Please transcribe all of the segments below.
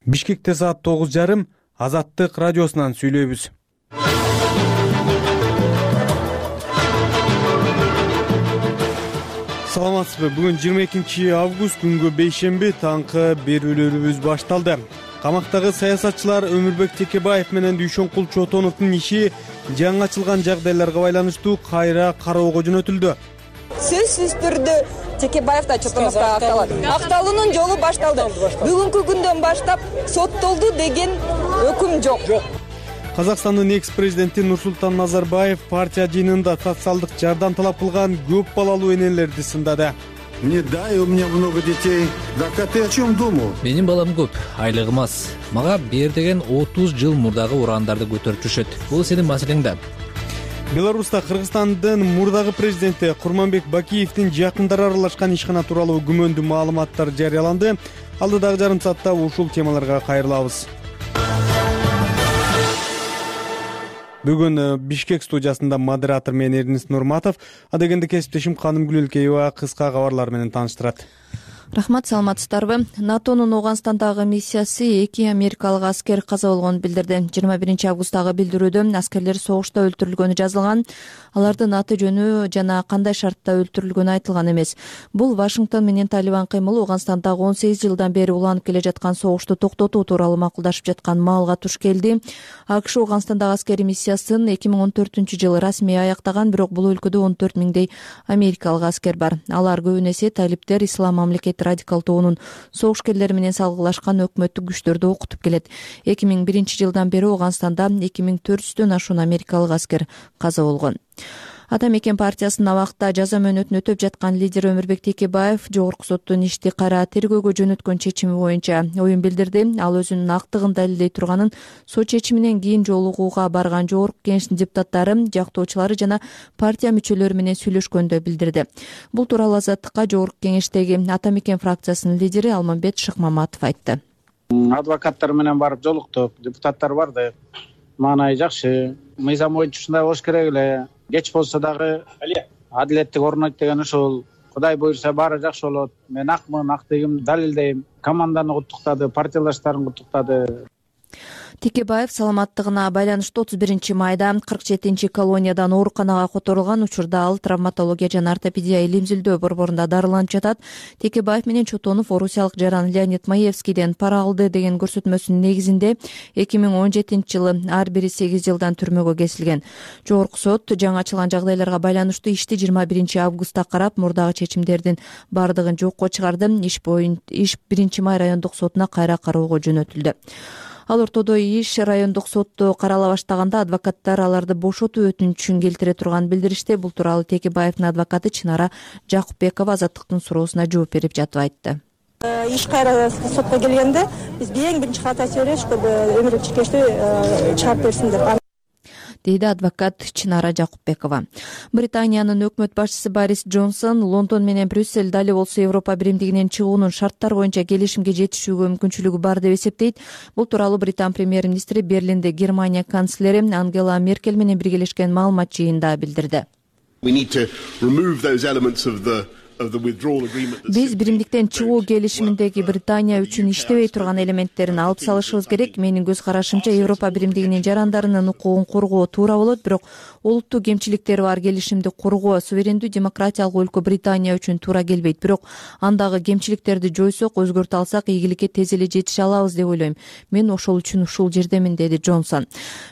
Бишкекте саат 9:30 Азаттык радиосунан сүйлөйбүз. Саламатсызбы? Бүгүн 22 август күнгө бейшемби таңкы берүүлөрүбүз башталды. Камактагы саясатчылар Өмүрбек Текебаев менен Дүйшөнкул Чотоновдун иши жаңы ачылган жагдайларга байланыштуу кайра кароого жөнөтүлдү. Сөзсүз түрдө Текебаев да Чотонов да акталат. Акталуунун жолу башталды. Бүгүнкү күндөн баштап соттолду деген өкүм жок. Казакстандын экс-президенти Нурсултан Назарбаев партия жыйынында социалдык жардам талап кылган көп балалуу энелерди сындады. Не дай, у меня много детей. Да ты о чем думал? Менин балам көп, айлыгым аз. Мага бер деген 30 жыл мурдагы урандарды көтөрүп жүрүшөт. Бул сенин маселең да. Беларуста Кыргызстандын мурдагы президенти Курманбек Бакиевдин жакындары аралашкан ишкана тууралуу күмөндүү маалыматтар жарыяланды. Алдыдагы жарым саатта ушул темаларга кайрылабыз. Бүгүн Бишкек студиясында модератор мен Эрнис Нурматов, адегенде кесиптешим Канымгүл Элкеева кыска кабарлар менен тааныштырат. Рахмат, саламатсыздарбы? НАТОнун Ооганстандагы миссиясы 2 америкалык аскер каза болгонун билдирди. 21 августтагы билдирүүдө аскерлер согушта өлтүрүлгөнү жазылган. Алардын аты жөнү жана кандай шартта өлтүрүлгөнү айтылган эмес. Бул Вашингтон менен Талибан кыймылы Ооганстандагы 18 жылдан бери уланып келе жаткан согушту токтотуу тууралуу макулдашып жаткан маалга туш келди. АКШ Ооганстандагы аскери миссиясын 2014-жылы расмий аяктаган, бирок бул өлкөдө 14 миңдей америкалык аскер бар. Алар көбүн эсе талиптер, ислам мамлекети радикал тобунун согушкерлери менен салгылашкан өкмөттүк күчтөрдү окутуп келет. 2001 жылдан бери Ооганстанда 2400дөн ашуун америкалык аскер каза болгон. Ата мекен партиясынын абакта жаза мөөнөтүн өтөп жаткан лидер Өмүрбек Текебаев жогорку соттун ишти кайра тергөөгө жөнөткөн чечими боюнча оюн билдирди. Ал өзүнүн актыгын далилдей турганын сот чечиминен кийин жолугууга барган жогорку кеңештин депутаттары, жактоочулары жана партия мүчөлөрү менен сүйлөшкөндө билдирди. Бул тууралуу Азаттыкка жогорку кеңештеги Ата мекен фракциясынын лидери Алмамбет Шыкмаматов айтты. Адвокаттар менен барып жолуктук, депутаттар барды. Маанай жакшы. Мыйзам боюнча ушундай болуш керек эле. Кеч болсо дагы адилеттик орнойт деген ушул. Кудай буйрса баары жакшы болот. Мен акмын, актыгым далилдейм. Команданы куттуктады, партиялаштарын куттуктады. Текебаев саламаттыгына байланыштуу 31 майда 47 колониядан ооруканага которулган. Учурда ал травматология жана ортопедия илимзилдөө борборунда дарыланып жатат. Текебаев менен Чотонов орусиялык жаран Леонид Маевскийден пара алды деген көрсөтмөсүнүн негизинде 2017 жылы ар бири 8 жылдан түрмөгө кесилген. Жогорку сот жаңы ачылган жагдайларга байланыштуу ишти 21 августта карап, мурдагы чечимдердин бардыгын жокко чыгарды. Иш 1 май райондук сотуна кайра кароого жөнөтүлдү. Ал ортодо иш райондук сотто карала баштаганда адвокаттар аларды бошотуу өтүнүчүн келтире турганын билдиришти. Бул тууралуу Текебаевдин адвокаты Чынара Жакупбекова Азаттыктын суроосуна жооп берип жатып айтты. Иш кайра сотко келгенде биз эң биринчи ката сөйлөшүп, Өмүрбек Текебаевди чыгарып берсин деп, дейди адвокат Чынара Жакупбекова. Британиянын өкмөт башчысы Борис Джонсон Лондон менен Брюссель дали болсо Европа биримдигинен чыгуунун шарттары боюнча келишимге жетишүүгө мүмкүнчүлүгү бар деп эсептейт. Бул тууралуу Британ премьер-министри Берлинде Германия канцлери Ангела Меркель менен биргелешкен маалымат жыйынында билдирди. Биз биримдиктен чыгуу келишиминдеги Британия үчүн иштебей турган элементтерин алып салышыбыз керек. Менин көз карашымча Европа биримдигинин жарандарынын укугун коргоо туура болот, бирок олуттуу кемчиликтери бар келишимди коргоо суверендүү демократиялык өлкө Британия үчүн туура келбейт. Бирок андагы кемчиликтерди жойсок, өзгөртө алсак, ийгиликке тез эле жетише алабыз деп ойлойм. Мен ошол үчүн ушул жердемин, деди Джонсон.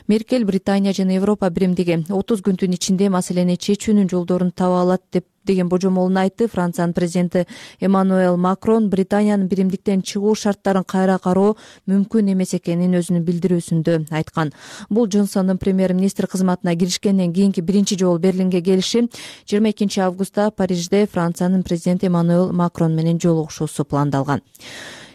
Меркель Британия жана Европа биримдиги 30 күндүн ичинде маселени чечүүнүн жолдорун таба алат деген божомолун айтты. Франциянын президенти Эммануэл Макрон Британиянын биримдиктен чыгуу шарттарын кайра кароо мүмкүн эмес экенин өзүнүн билдирүүсүндө айткан. Бул Джонсондун премьер-министр кызматына киришкенден кийинки биринчи жолу Берлинге келиши. 22 августта Парижде Франциянын президенти Эммануэл Макрон менен жолугушуусу пландалган.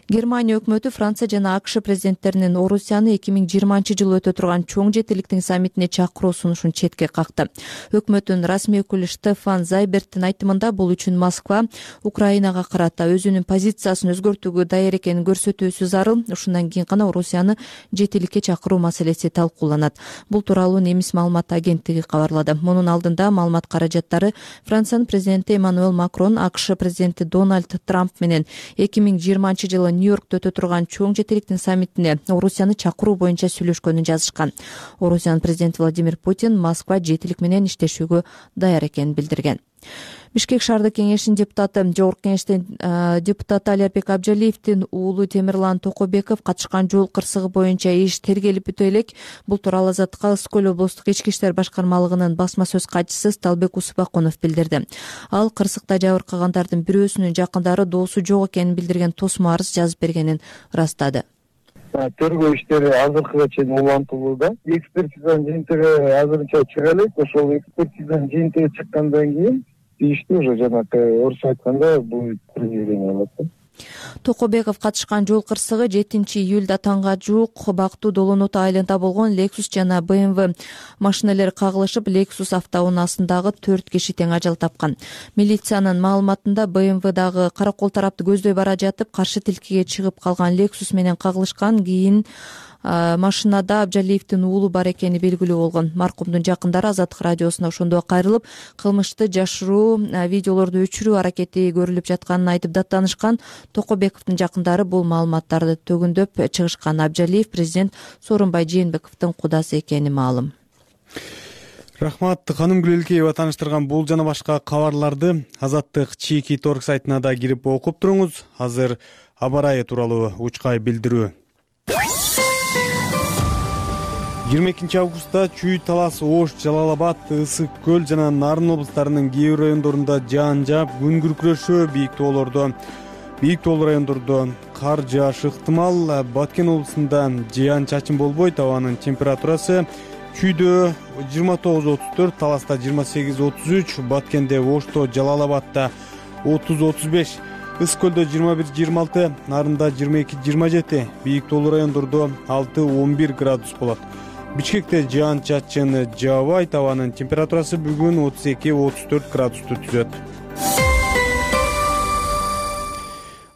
Германия өкмөтү Франция жана АКШ президенттеринин Орусияны 2020 өтө турган чоң жетиликтин саммитине чакыруу сунушун четке какты. Өкмөттүн расмий өкүлү Штефан Зайберттин айтымында бул үчүн Москва Украинага карата өзүнүн позициясын өзгөртүүгө даяр экенин көрсөтүүсү зарыл. Ушундан кийин гана Орусияны жетиликке чакыруу маселеси талкууланат. Бул тууралуу немис маалымат агенттиги кабарлады. Мунун алдында маалымат каражаттары Франциянын президенти Эммануэл Макрон АКШ президенти Дональд Трамп менен 2020 жылы Нью-Йоркто өтө турган чоң жетеликтин саммитине Орусияны чакыруу боюнча сүйлөшкөнүн жазышкан. Орусиянын президенти Владимир Путин Москва жетелик менен иштешүүгө даяр экенин билдирген. Бишкек шаардык кеңешинин депутаты, жогорку кеңештин депутаты Алиарбек Абжалиевдин уулу Темирлан Токобеков катышкан жол кырсыгы боюнча иш тергелип бүтө элек. Бул тууралуу Азаттыкка Ысык көл облустук ички иштер башкармалыгынын басма сөз катчысы Сталбек Усупакунов билдирди. Ал кырсыкта жабыркагандардын бирөөсүнүн жакындары доосу жок экенин билдирген тосмо арыз жазып бергенин ырастады. Тергөө иштери азыркыга чейин улантылууда. Экспертизанын жыйынтыгы азырынча чыга элек. Ошол экспертизанын жыйынтыгы чыккандан кийин ишти уже жанакы орусча айтканда бул проведение болот. Токобеков катышкан жол кырсыгы 7-июлда таңга жуук Бактуу Долонот айылында болгон Lexus жана BMW машиналери кагылышып, Lexus автоунаасындагы 4 киши тең ажал тапкан. Милициянын маалыматында BMW-дагы каракол тарапты көздөй бара жатып, каршы тилкеге чыгып калган Lexus менен кагылышкан. Кийин машинада Абжалиевдин уулу бар экени белгилүү болгон. Маркумдун жакындары Азаттык радиосуна ошондо кайрылып, кылмышты жашыруу, видеолорду өчүрүү аракети көрүлүп жатканын айтып даттанышкан. Токобековдун жакындары бул маалыматтарды төгүндөп чыгышкан. Абжалиев президент Сооронбай Жээнбековдун кудасы экени маалым. Рахмат, ханым Гүлелкеева тааныштырган бул жана башка кабарларды Азаттык Чики.org сайтына да кирип окуп туруңуз. Азыр аба ырайы тууралуу учкай билдирүү. 22 августта Чүй, Талас, Ош, Жалал-Абад, Ысык көл жана Нарын облустарынын кээ бир райондорунда жаан жаап, күн күркүрөшүү, бийик тоолуу райондордо кар жаашы ыктымал. Баткен облусунда жаан чачын болбойт. Абанын температурасы Чүйдө 29-34, Таласта 28-33, Баткенде, Ошто, Жалал-Абадта 30-35, Ысык көлдө 21-26, Нарында 22-27, бийик тоолуу райондордо 6-11 градус болот. Бишкекте жаан чачын жаабайт. Абанын температурасы бүгүн 32-34 градусту түзөт.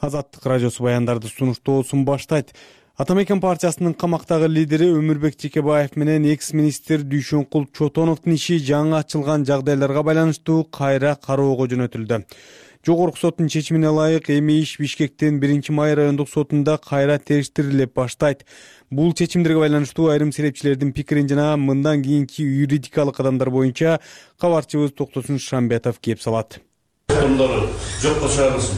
Азаттык радиосу баяндарды сунуштоосун баштайт. Атамекен партиясынын камактагы лидери Өмүрбек Текебаев менен экс-министр Дүйшөнкул Чотоновдун иши жаңы ачылган жагдайларга байланыштуу кайра кароого жөнөтүлдү. Жогорку соттун чечимине ылайык эми иш Бишкектин 1-май райондук сотунда кайра териштирилип баштайт. Бул чечимдерге байланыштуу айрым серепчилердин пикирин жана мындан кийинки юридикалык кадамдар боюнча кабарчыбыз Токтосун Шамбетов кеп салат. Жокко чыгарылсын.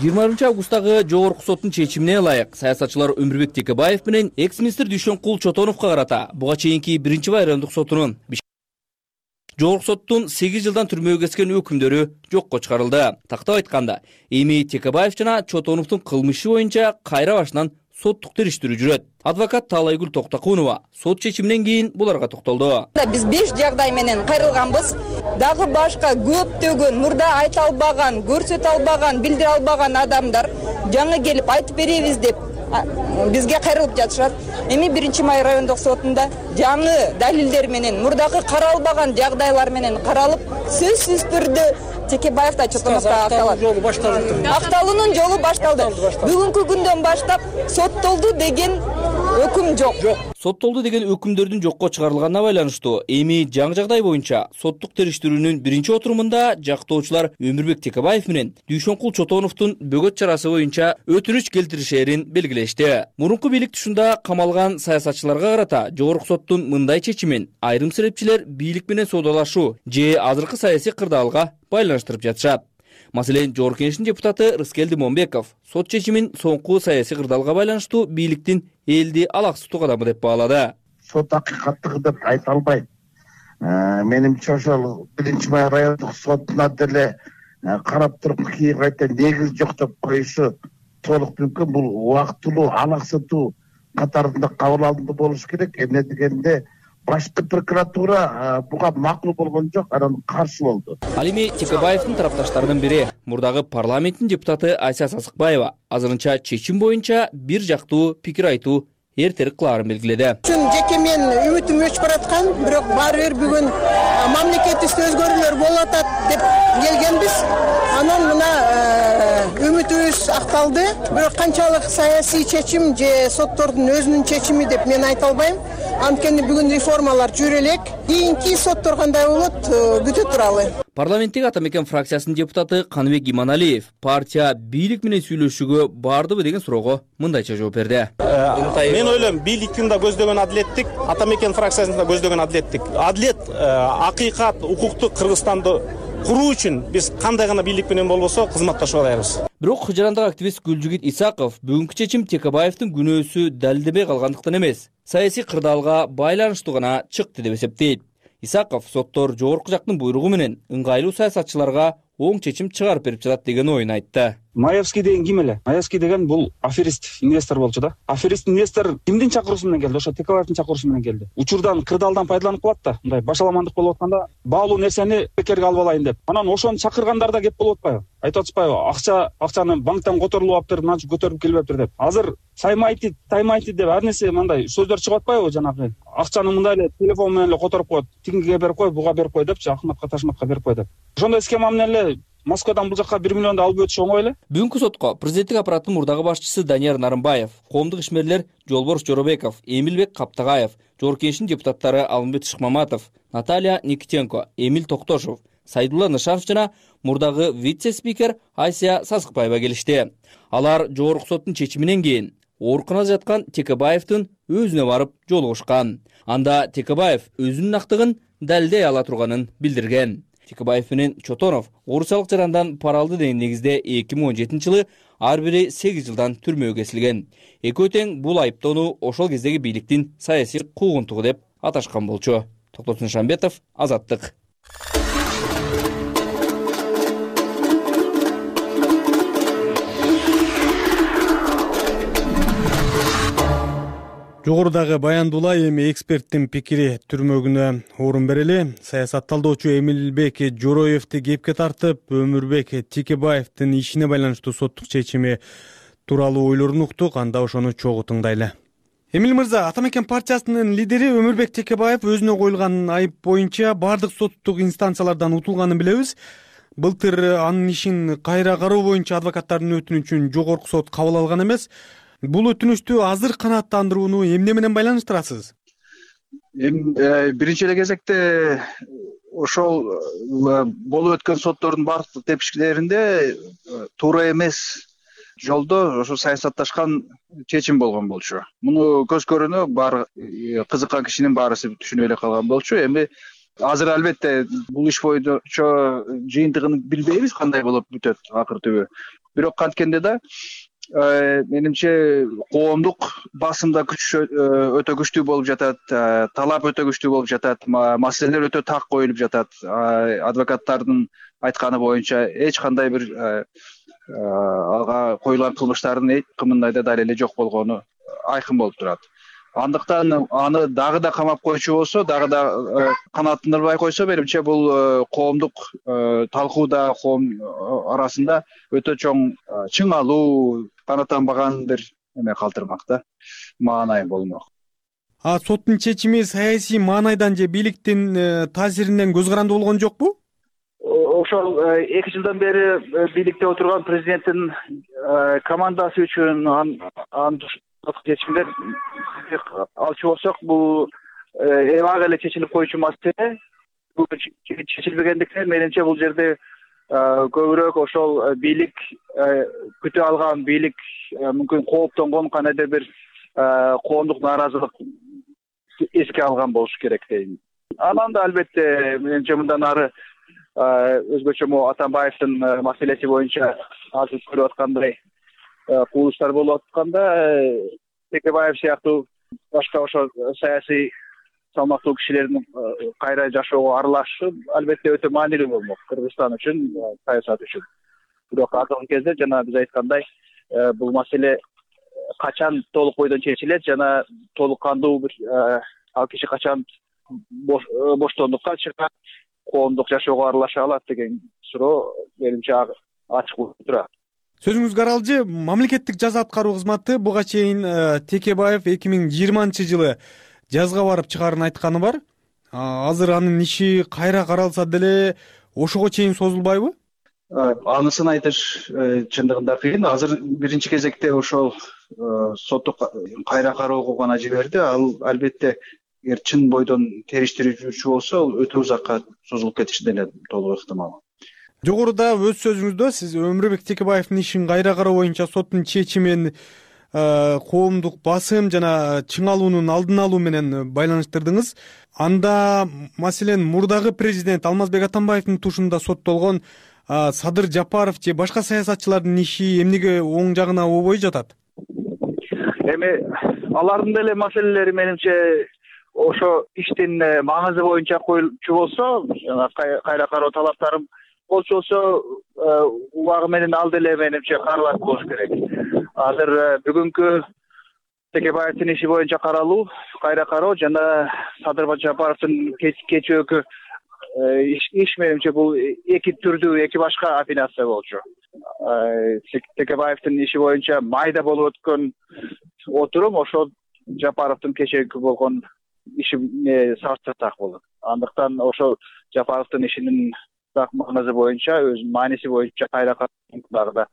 20 августтагы жогорку соттун чечимине ылайык саясатчылар Өмүрбек Текебаев менен экс-министр Дүйшөнкул Чотоновго карата буга чейинки 1-май райондук сотунун жогорку соттун 8 жылдан түрмөгө кескен өкүмдөрү жокко чыгарылды. Тактап айтканда, эми Текебаев жана Чотоновдун кылмышы боюнча кайра башынан соттук териштирүү жүрөт. Адвокат Таалайгүл Токтакунова сот чечиминен кийин буларга токтолду. Биз 5 жагдай менен кайрылганбыз. Дагы башка көптөгөн мурда айта албаган, көрсөтө албаган, билдире албаган адамдар жаңы келип айтып беребиз деп бизге кайрылып жатышат. Эми 1-май райондук сотунда жаңы далилдер менен, мурдагы каралбаган жагдайлар менен каралып, сөзсүз түрдө Текебаев да Чотоновго акталуунун жолу башталды. Бүгүнкү күндөн баштап соттолду деген өкүм жок. Соттолду деген өкүмдөрдүн жокко чыгарылганына байланыштуу эми жаңы жагдай боюнча соттук териштирүүнүн 1-отурумунда жактоочулар Өмүрбек Текебаев менен Дүйшөнкул Чотоновдун бөгөт чарасы боюнча өтүнүч келтиришерин белгилешти. Мурунку бийлик тушунда камалган саясатчыларга карата жогорку соттун мындай чечимин айрым серепчилер бийлик менен соодалашуу же азыркы саясий кырдаалга байланыштырып жатышат. Маселен, жогорку кеңештин депутаты Рыскелди Момбеков сот чечимин соңку саясий кырдаалга байланыштуу бийликтин элди алаксытуу кадамы деп баалады. Сот акыйкаттыгы деп айта албайм. Менимче ошол 1-май райондук сотуна деле карап туруп кийин кайта негиз жок деп коюшу толук мүмкүн. Бул убактылуу алаксытуу катарында кабыл алынды болуш керек. Эмне дегенде башкы прокуратура буга макул болгон жок, анан каршы болду. Ал эми Текебаевдин тарапташтарынын бири мурдагы парламенттин депутаты Айса Сасыкбаева азырынча чечим боюнча бир жактуу пикир айтуу эртерээк кылаарын белгиледи. Жеке мен үмүтүм өчүп бараткан, бирок баары бир бүгүн мамлекетибизде өзгөрүүлөр болуп атат деп келгенбиз. Анан мына үмүтүбүз акталды. Бирок канчалык саясий чечим же соттордун өзүнүн чечими деп мен айта албайм. Анткени бүгүн реформалар жүрө элек. Кийинки соттор кандай болот күтө туралы. Парламенттеги Ата Мекен фракциясынын депутаты Каныбек Иманалиев партия бийлик менен сүйлөшүүгө бардыбы деген суроого мындайча жооп берди. Мен ойлойм, бийликтин да көздөгөн адилеттик, Ата Мекен фракциясынын да көздөгөн адилеттик. Адилет, акыйкат, укуктук Кыргызстанды куруу үчүн биз кандай гана бийлик менен болбосо кызматташып алабыз. Бирок Кыжырандагы активист Гүлжигит Исаков бүгүнкү чечим Текебаевдин күнөөсү далилдебей калгандыктан эмес, саясий кырдаалга байланыштуу гана чыкты деп эсептейт. Исаков соттор жогорку жактын буйругу менен ыңгайлуу саясатчыларга оң чечим чыгарып берип жатат деген оюн айтты. Маевский деген ким эле? Маевский деген бул аферист, инвестор болчу да. Аферист инвестор кимдин чакыруусу менен келди? Ошо Текебаевдин чакыруусу менен келди. Учурдан, кырдаалдан пайдаланып калат да. Мындай башаламандык болуп атканда баалуу нерсени бекерге алып алайын деп. Анан ошону чакыргандарда кеп болуп атпайбы? Айтып атышпайбы? Акчаны банктан которулуп алыптыр, мынча көтөрүп келбептир деп. Азыр саймайты, таймайты деп ар нерсе мындай сөздөр чыгып атпайбы жанагы? Акчаны мындай эле телефон менен эле которуп коет. Тигиге берип кой, буга берип кой депчи, Ахматка, Ташматка берип кой деп. Ошондой схема менен эле Москвадан бул жакка 1 миллионду алып өтүш оңой эле. Бүгүнкү сотко президенттик аппараттын мурдагы башчысы Данияр Нарымбаев, коомдук ишмерлер Жолборс Жоробеков, Эмилбек Каптагаев, Жогорку Кеңештин депутаттары Алмамбет Шыкмаматов, Наталья Никитенко, Эмил Токтошов, Сайдулла Нышанов жана мурдагы вице-спикер Айсия Сазыкбаева келишти. Алар жогорку соттун чечиминен кийин ооруканада жаткан Текебаевдин өзүнө барып жолугушкан. Анда Текебаев өзүнүн актыгын далилдей ала турганын билдирген. Текебаев менен Чотонов орусиялык жарандан пара алды деген негизде 2017-жылы ар бири 8 жылдан түрмөгө кесилген. Экөө тең бул айыптоону ошол кездеги бийликтин саясий куугунтугу деп аташкан болчу. Токтосун Шамбетов, Азаттык. Жогорудагы баяндуулай эми эксперттин пикири түрмөгүнө орун берели. Саясат талдоочу Эмилбек Жороевди кепке тартып, Өмүрбек Текебаевдин ишине байланыштуу соттук чечими тууралуу ойлорун уктук. Анда ошону чогуу тыңдайлы. Эмил мырза, Ата Мекен партиясынын лидери Өмүрбек Текебаев өзүнө коюлган айып боюнча бардык соттук инстанциялардан утулганын билебиз. Былтыр анын ишин кайра кароо боюнча адвокаттардын өтүнүчүн жогорку сот кабыл алган эмес. Бул өтүнүштү азыр канааттандырууну эмне менен байланыштырасыз? Биринчи эле кезекте ошол болуп өткөн соттордун бардык тепкичтеринде туура эмес жолдо ошо саясатташкан чечим болгон болчу. Муну көз көрөнү баары кызыккан кишинин баарысы түшүнүп эле калган болчу. Эми азыр албетте бул иш боюнча жыйынтыгын билбейбиз, кандай болуп бүтөт акыр түбү. Бирок канткенде да менимче коомдук басымда өтө күчтүү болуп жатат, талап өтө күчтүү болуп жатат, маселелер өтө так коюлуп жатат. Адвокаттардын айтканы боюнча эч кандай бир ага коюлган кылмыштардын эч кымындай да далили жок болгону айкын болуп турат. Андыктан аны дагы да камап койчу болсо, дагы да канааттандырбай койсо, менимче бул коомдук талкууда, коом арасында өтө чоң чыңалуу, канааттанбаган бир эме калтырмак да, маанай болмок. Соттун чечими саясий маанайдан же бийликтин таасиринен көз каранды болгон жокпу? Ошол 2 жылдан бери бийликте отурган президенттин командасы үчүн анын чечимдер алчу болсок, бул эбак эле чечилип коючу маселе. Бул чечилбегендиктен менимче бул жерде көбүрөөк ошол бийлик күтө алган, бийлик мүмкүн кооптонгон кандайдыр бир коомдук нааразылык эске алган болушу керек дейм. Анан да албетте менимче мындан ары өзгөчө Атамбаевдин маселеси боюнча азыр көрүп аткандай кубулуштар болуп атканда, Текебаев сыяктуу башка ошо саясий салмактуу кишилердин кайра жашоого аралашышы албетте өтө маанилүү болмок Кыргызстан үчүн, саясат үчүн. Бирок азыркы кезде жана биз айткандай, бул маселе качан толук бойдон чечилет жана толук кандуу бир ал киши качан боштондукка чыгат, коомдук жашоого аралаша алат деген суроо менимче ачык болуп турат. Сөзүңүз каралжы, мамлекеттик жаза аткаруу кызматы буга чейин Текебаев 2020-жылы жазга барып чыгаарын айтканы бар. Азыр анын иши кайра каралса деле ошого чейин созулбайбы? Анысын айтыш чындыгында кыйын. Азыр биринчи кезекте ошол соттук кайра кароого гана жиберди. Ал албетте эгер чын бойдон териштирүүчү болсо ал өтө узакка созулуп кетиши деле толук ыктымал. Жогоруда өз сөзүңүздө сиз Өмүрбек Текебаевдин ишин кайра кароо боюнча соттун чечимин коомдук басым жана чыңалуунун алдын алуу менен байланыштырдыңыз. Анда маселен мурдагы президент Алмазбек Атамбаевдин тушунда соттолгон Садыр Жапаров же башка саясатчылардын иши эмнеге оң жагына обой жатат? Эми алардын деле маселелери менимче ошо иштин маңызы боюнча коюлчу болсо, жана кайра кароо талаптарым болчу болсо, убагы менен ал деле менимче каралат болуш керек. Азыр бүгүнкү Текебаевдин иши боюнча каралуу, кайра кароо жана Садыр Жапаровдун кечээкү иш менимче бул эки түрдүү, эки башка апелляция болчу. Текебаевдин иши боюнча майда болуп өткөн отурум ошо Жапаровдун кечээкү болгон иши сартак болот. Андыктан ошо Жапаровдун ишинин маңызы боюнча, өзүнүн мааниси боюнча кайра кароо да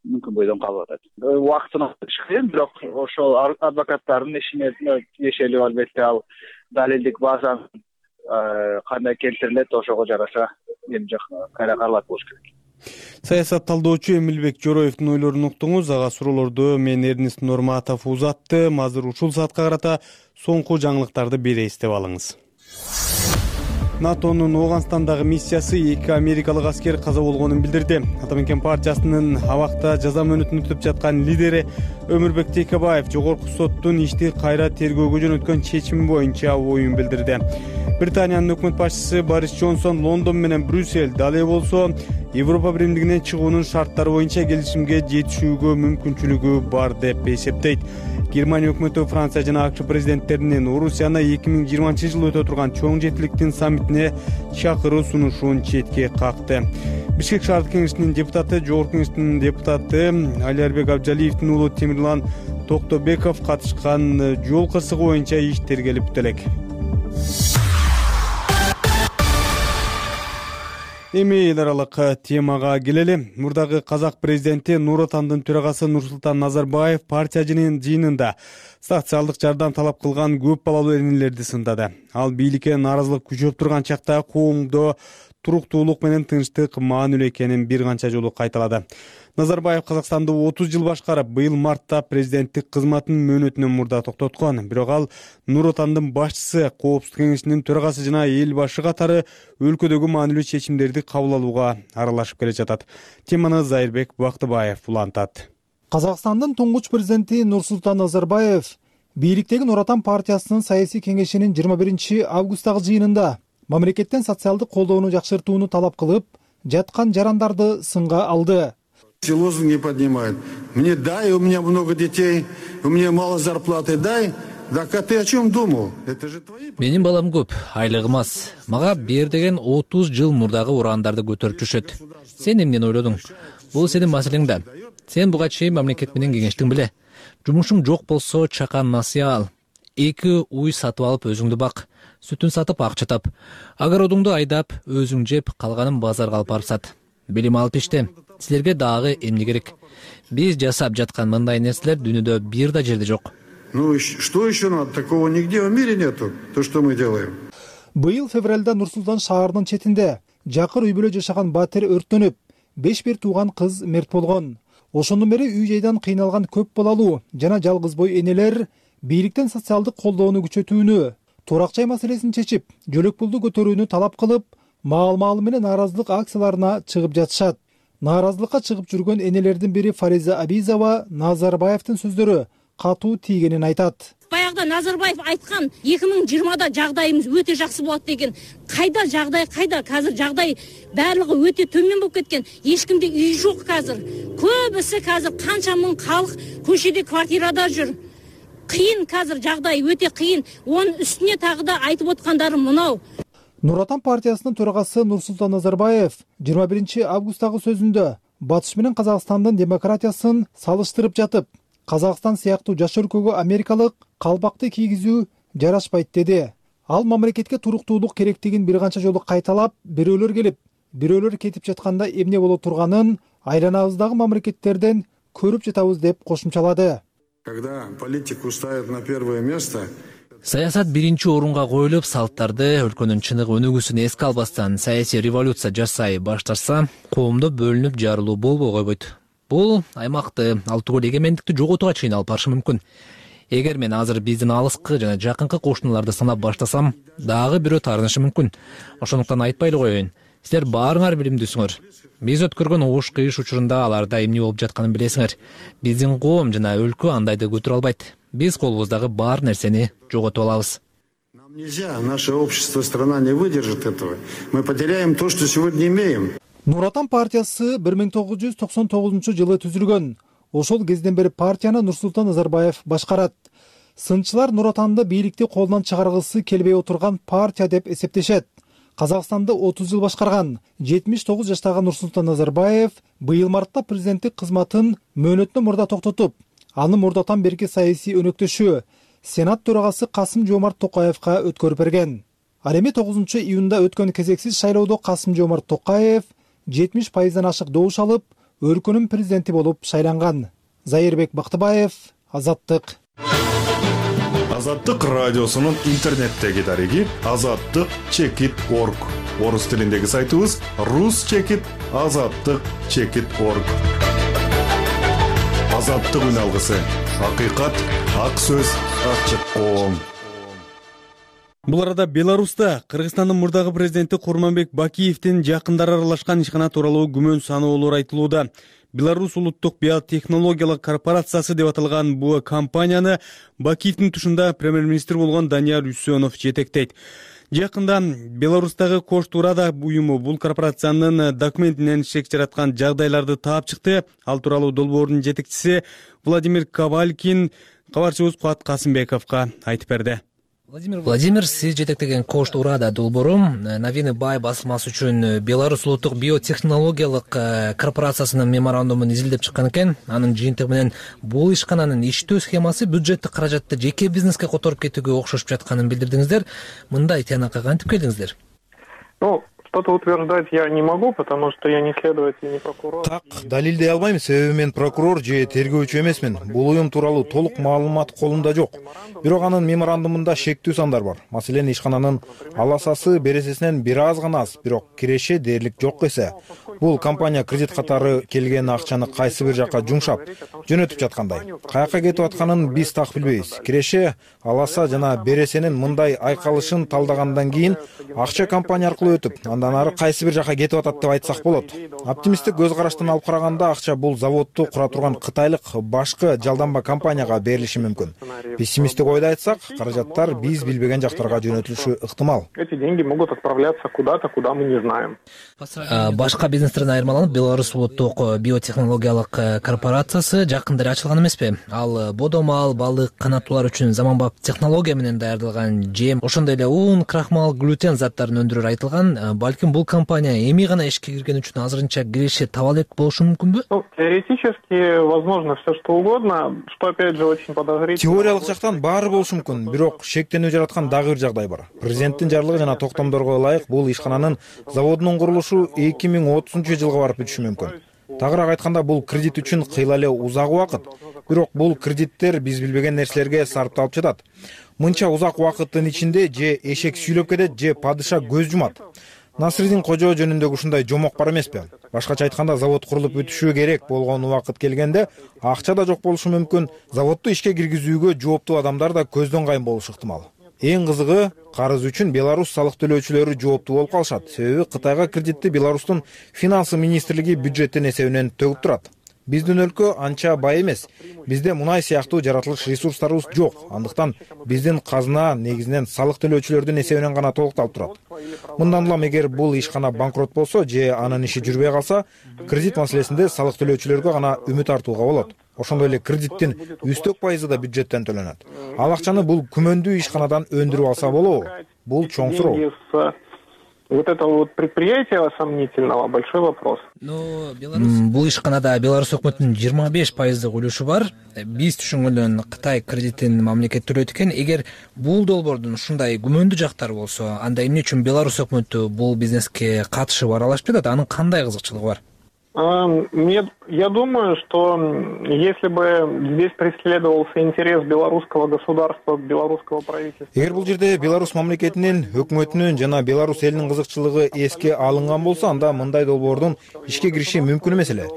мүмкүн бойдон калып атат. Убактын кыйын, бирок ошол адвокаттардын ишине тиешелүү албетте ал далилдик базаны кандай келтирилет, ошого жараша эмне кайра каралат болуш керек. Саясат талдоочу Эмилбек Жороевдин ойлорун уктуңуз. Ага суроолорду мен Эрнест Нурматов узаттым. Азыр ушул саатка карата соңку жаңылыктарды беребиз деп алыңыз. НАТОнун Ооганстандагы миссиясы 2 америкалык аскер каза болгонун билдирди. Атамекен партиясынын абакта жаза мөөнөтүн өтөп жаткан лидери Өмүрбек Текебаев жогорку соттун ишти кайра тергөөгө жөнөткөн чечими боюнча оюн билдирди. Британиянын өкмөт башчысы Борис Джонсон Лондон менен Брюссель дале болсо Европа биримдигинен чыгуунун шарттары боюнча келишимге жетишүүгө мүмкүнчүлүгү бар деп эсептейт. Германия өкмөтү Франция жана АКШ президенттеринин Орусияны 2020-жылы өтө турган чоң жетиликтин саммитине чакыруу сунушун четке какты. Бишкек шаардык кеңешинин депутаты, Жогорку кеңештин депутаты Алиарбек Абжалиевдин уулу Темирлан Токтобеков катышкан жол кырсыгы боюнча иш тергелип бүтө элек. Эми эл аралык темага келели. Мурдагы казак президенти Нур Отандын төрагасы Нурсултан Назарбаев партия жыйынында социалдык жардам талап кылган көп балалуу энелерди сындады. Ал бийликке нааразылык күчөп турган чакта коомдо туруктуулук менен тынчтык маанилүү экенин бир канча жолу кайталады. Назарбаев Казакстанды 30 жыл башкарып, быйыл мартта президенттик кызматын мөөнөтүнөн мурда токтоткон. Бирок ал Нур Отандын башчысы, Коопсуздук кеңешинин төрагасы жана эл башы катары өлкөдөгү маанилүү чечимдерди кабыл алууга аралашып келе жатат. Теманы Зайырбек Бактыбаев улантат. Казакстандын туңгуч президенти Нурсултан Назарбаев бийликтеги Нур Отан партиясынын саясий кеңешинин 21 августтагы жыйынында мамлекеттен социалдык колдоону жакшыртууну талап кылып, жаткан жарандарды сынга алды. Эти лозунги поднимают. Мне дай, у меня много детей, у меня мало зарплаты, дай. Так а ты о чем думал? Это же твои... Менин балам көп, айлыгым аз. Мага бер деген 30 жыл мурдагы урандарды көтөрүп Сен эмнени ойлодуң? Бул сенин маселең да. Сен буга чейин мамлекет менен кеңештиң беле. Жумушуң жок болсо чакан насыя ал. 2 уй сатып алып өзүңдү бак. Сүтүн сатып акча тап. Огородуңду айдап, өзүң жеп, калганын базарга алып барып сат. Билим алып иште. Силерге дагы эмне керек? Биз жасап жаткан мындай нерселер дүйнөдө бир да жерде жок. Ну что еще надо? Такого нигде в мире нету, то, что мы делаем. Быйыл февралда Нур-Султан шаарынын четинде жакыр үй бүлө жашаган батир өрттөнүп, 5 бир тууган кыз мерт болгон. Ошондон бери үй жайдан кыйналган көп балалуу жана жалгыз бой энелер бийликтен социалдык колдоону күчөтүүнү, турак жай маселесин чечип, жөлөк пулду көтөрүүнү талап кылып, маал менен нааразылык акцияларына чыгып жатышат. Нааразылыкка чыгып жүргөн энелердин бири Фариза Абизова Назарбаевдин сөздөрү катуу тийгенин айтат. Баягыда Назарбаев айткан 2020да жагдайыбыз өтө жакшы болот деген. Кайда жагдай, кайда? Азыр жагдай барлыгы өтө төмөн болуп кеткен. Эч кимде үй жок азыр. Көбүсү азыр канча миң калк көчөдө квартирада жүр. Кыйын азыр жагдай өтө кыйын. Онун үстүнө тагы да айтып аткандарым мынау. Нур Отан партиясынын төрагасы Нурсултан Назарбаев 21 августтагы сөзүндө Батыш менен Казакстандын демократиясын салыштырып жатып, Казакстан сыяктуу жаш өлкөгө америкалык калпакты кийгизүү жарашпайт деди. Ал мамлекетке туруктуулук керектигин бир канча жолу кайталап, бирөөлөр келип, бирөөлөр кетип жатканда эмне боло турганын айланабыздагы мамлекеттерден көрүп жатабыз деп кошумчалады. Когда политику ставят на первое место, Саясат биринчи орунга коюлуп, салттарды, өлкөнүн чыныгы өнүгүүсүн эске албастан саясий революция жасай башташса, коомдо бөлүнүп жарылуу болбой койбойт. Бул аймакты, ал түгүл эгемендикти жоготууга чейин алып барышы мүмкүн. Эгер мен азыр биздин алыскы жана жакынкы кошуналарды санап баштасам, дагы бирөө таарынышы мүмкүн. Ошондуктан айтпай эле коеюн. Силер баарыңар билимдүүсүңөр. Биз өткөргөн ош кыйыш учурунда аларда эмне болуп жатканын билесиңер. Биздин коом жана өлкө андайды көтөрө албайт. Биз колубуздагы бар нерсени жоготуп алабыз. Нам нельзя, наше общество, страна не выдержит этого. Мы потеряем то, что сегодня имеем. Нур Отан партиясы 1999-жылы түзүлгөн. Ошол кезден бери партияны Нурсултан Назарбаев башкарат. Сынчылар Нур Отанды бийликти колунан чыгаргысы келбей отурган партия деп эсептешет. Казакстанды 30 жыл башкарган 79 жаштагы Нурсултан Назарбаев быйыл мартта президенттик кызматын мөөнөтүнөн мурда токтотуп, аны мурдатан берки саясий өнөктөшү Сенат төрагасы Касым-Жомарт Токаевга өткөрүп берген. Ал эми 9-июнда өткөн кезексиз шайлоодо Касым-Жомарт Токаев 70%дан ашык добуш алып, өлкөнүн президенти болуп шайланган. Зайырбек Бактыбаев, Азаттык. Азаттык радиосунун интернеттеги дареги azattik.org. Орус тилиндеги сайтыбыз rus.azattik.org. Азаттык үн алгысы. Акыйкат, ак сөз, ачык коом. Бул арада Беларуста Кыргызстандын мурдагы президенти Курманбек Бакиевдин жакындары аралашкан ишкана тууралуу күмөн саноолор айтылууда. Беларусь улуттук биотехнологиялык корпорациясы деп аталган бул компанияны Бакиевдин тушунда премьер-министр болгон Данияр Үсөнов жетектейт. Жакында Беларустагы Кош Турада уюму бул корпорациянын документинен шек жараткан жагдайларды таап чыкты. Ал тууралуу долбоордун жетекчиси Владимир Ковалькин кабарчыбыз Куат Касымбековго айтып берди. Владимир, сиз жетектеген Кош Турада долбоору Новины Бай басылмасы үчүн Беларусь улуттук биотехнологиялык корпорациясынын меморандумун изилдеп чыккан экен. Анын жыйынтыгы менен бул ишкананын иштөө схемасы бюджеттик каражатты жеке бизнеске которуп кетүүгө окшошуп жатканын билдирдиңиздер. Мындай тыянакка кантип келдиңиздер? Что-то утверждать я не могу, потому что я не следователь, не прокурор. Так, далилдей албайм, себеби мен прокурор же тергөөчү эмесмин. Бул уюм тууралуу толук маалымат колумда жок. Бирок анын меморандумунда шектүү сандар бар. Маселен, ишкананын аласасы бересесинен бир аз гана аз, бирок киреше дээрлик жок эсе. Бул компания кредит катары келген акчаны кайсы бир жакка жумшап, жөнөтүп жаткандай. Каяка кетип атканын биз так билбейбиз. Киреше, аласа жана бересенин мындай айкалышын талдагандан кийин акча компания аркылуу өтүп, андан ары кайсы бир жака кетип атат деп айтсак болот. Оптимисттик көз караштан алып караганда акча бул заводду кура турган кытайлык башкы жалданба компанияга берилиши мүмкүн. Пессимисттик ойдо айтсак, каражаттар биз билбеген жактарга жөнөтүлүшү ыктымал. Эти деньги могут отправляться куда-то, куда мы не знаем. Башка бизнестерден айырмаланып, Беларусь улуттук биотехнологиялык корпорациясы жакында эле ачылган эмеспи? Ал бодомал, балык, канаттуулар үчүн заманбап технология менен даярдалган жем, ошондой эле ун, крахмал, глютен заттарын өндүрөр айтылган. Балким бул компания эми гана ишке кирген үчүн азырынча киреше таба элек болушу мүмкүнбү? Теоретически возможно все что угодно, что опять же очень подозрительно. Теориялык жактан баары болушу мүмкүн, бирок шектенүү жараткан дагы бир жагдай бар. Президенттин жарлыгы жана токтомдорго ылайык бул ишкананын заводунун курулушу 2030-жылга барып бүтүшү мүмкүн. Тагыраак айтканда, бул кредит үчүн кыйла эле узак убакыт, бирок бул кредиттер биз билбеген нерселерге сарпталып жатат. Мынча узак убакыттын ичинде же эшек сүйлөп кетет, же падыша көз жумат. Насридин кожо жөнүндөгү ушундай жомок бар эмеспи? Башкача айтканда, завод курулуп бүтүшү керек болгон убакыт келгенде акча да жок болушу мүмкүн, заводду ишке киргизүүгө жооптуу адамдар да көздөн кайын болушу ыктымал. Эң кызыгы, карыз үчүн Беларусь салык төлөөчүлөрү жооптуу болуп калышат. Себеби Кытайга кредитти Беларустун финансы министрлиги бюджеттин эсебинен төгүп турат. Биздин өлкө анча бай эмес. Бизде мунай сыяктуу жаратылыш ресурстарыбыз жок. Андыктан биздин казына негизинен салык төлөөчүлөрдүн эсебинен гана толукталып турат. Мындан улам эгер бул ишкана банкрот болсо же анын иши жүрбөй калса, кредит маселесинде салык төлөөчүлөргө гана үмүт артууга болот. Ошондой эле кредиттин үстөк пайызы да бюджеттен төлөнөт. Ал акчаны бул күмөндүү ишканадан өндүрүп алса болобу? Бул чоң суроо. Вот это вот предприятие сомнительного большой вопрос. Бул ишканада Беларусь өкмөтүнүн 25% үлүшү бар. Биз түшүнгөндөн Кытай кредитин мамлекет төлөйт экен. Эгер бул долбоордун ушундай күмөндүү жактары болсо, анда эмне үчүн Беларусь өкмөтү бул бизнеске катышып аралашып жатат? Анын кандай кызыкчылыгы бар? Я думаю, что если бы здесь преследовался интерес белорусского государства, белорусского правительства... Эгер бул жерде Беларусь мамлекетинин, өкмөтүнүн жана Беларусь элинин кызыкчылыгы эске алынган болсо, анда мындай долбоордун ишке кириши мүмкүн эмес эле.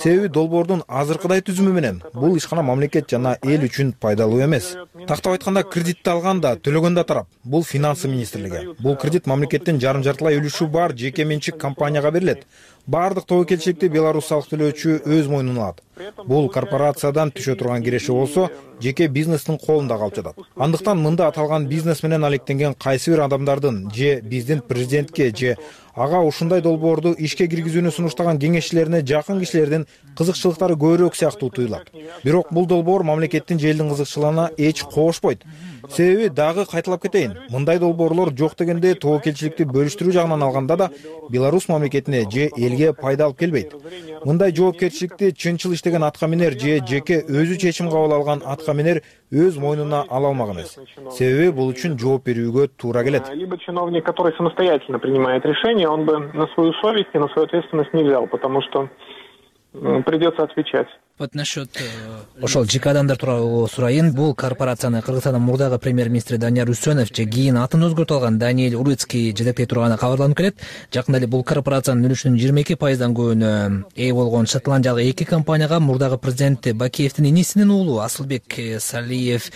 Себеби долбоордун азыркыдай түзүмү менен бул ишкана мамлекет жана эл үчүн пайдалуу эмес. Тактап айтканда, кредитти алган да, төлөгөн да тарап бул финансы министрлиги. Бул кредит мамлекеттин жарым-жартылай үлүшү бар жеке менчик компанияга берилет. Бардык тобокелчиликти Беларусь салык төлөөчү өз мойнуна алат. Бул корпорациядан түшө турган киреши болсо, жеке бизнестин колунда калып жатат. Андыктан мында аталган бизнес менен алектенген кайсы бир адамдардын же биздин президентке же ага ушундай долбоорду ишке киргизүүнү сунуштаган кеңешчилерине жакын кишилердин кызыкчылыктары көбүрөөк сыяктуу туюлат. Бирок бул долбоор мамлекеттин же элдин кызыкчылыгына эч кошпойт. Себеби дагы кайталап кетейин, мындай долбоорлор жок дегенде тобокелчиликти бөлүштүрүү жагынан алганда да Беларусь мамлекетине же элге пайда алып келбейт. Мындай жоопкерчиликти чынчыл иштеген атка минер же жеке өзү чечим кабыл алган атка минер өз мойнуна ала алмак эмес. Себеби бул үчүн жооп берүүгө туура келет. Либо чиновник, который самостоятельно принимает решение, он бы на свою совесть и на свою ответственность не взял, потому что придется отвечать. Вот насчет ошол жеке адамдар тууралуу сурайын. Бул корпорацияны Кыргызстандын мурдагы премьер-министри Данияр Үсөнов же кийин атын өзгөртүп алган Даниэль Урицкий жетектей турганы кабарланып келет. Жакында эле бул корпорациянын үлүшүнүн 22% көбүнө ээ болгон шотландиялык 2 компанияга мурдагы президенти Бакиевдин инисинин уулу Асылбек Салиев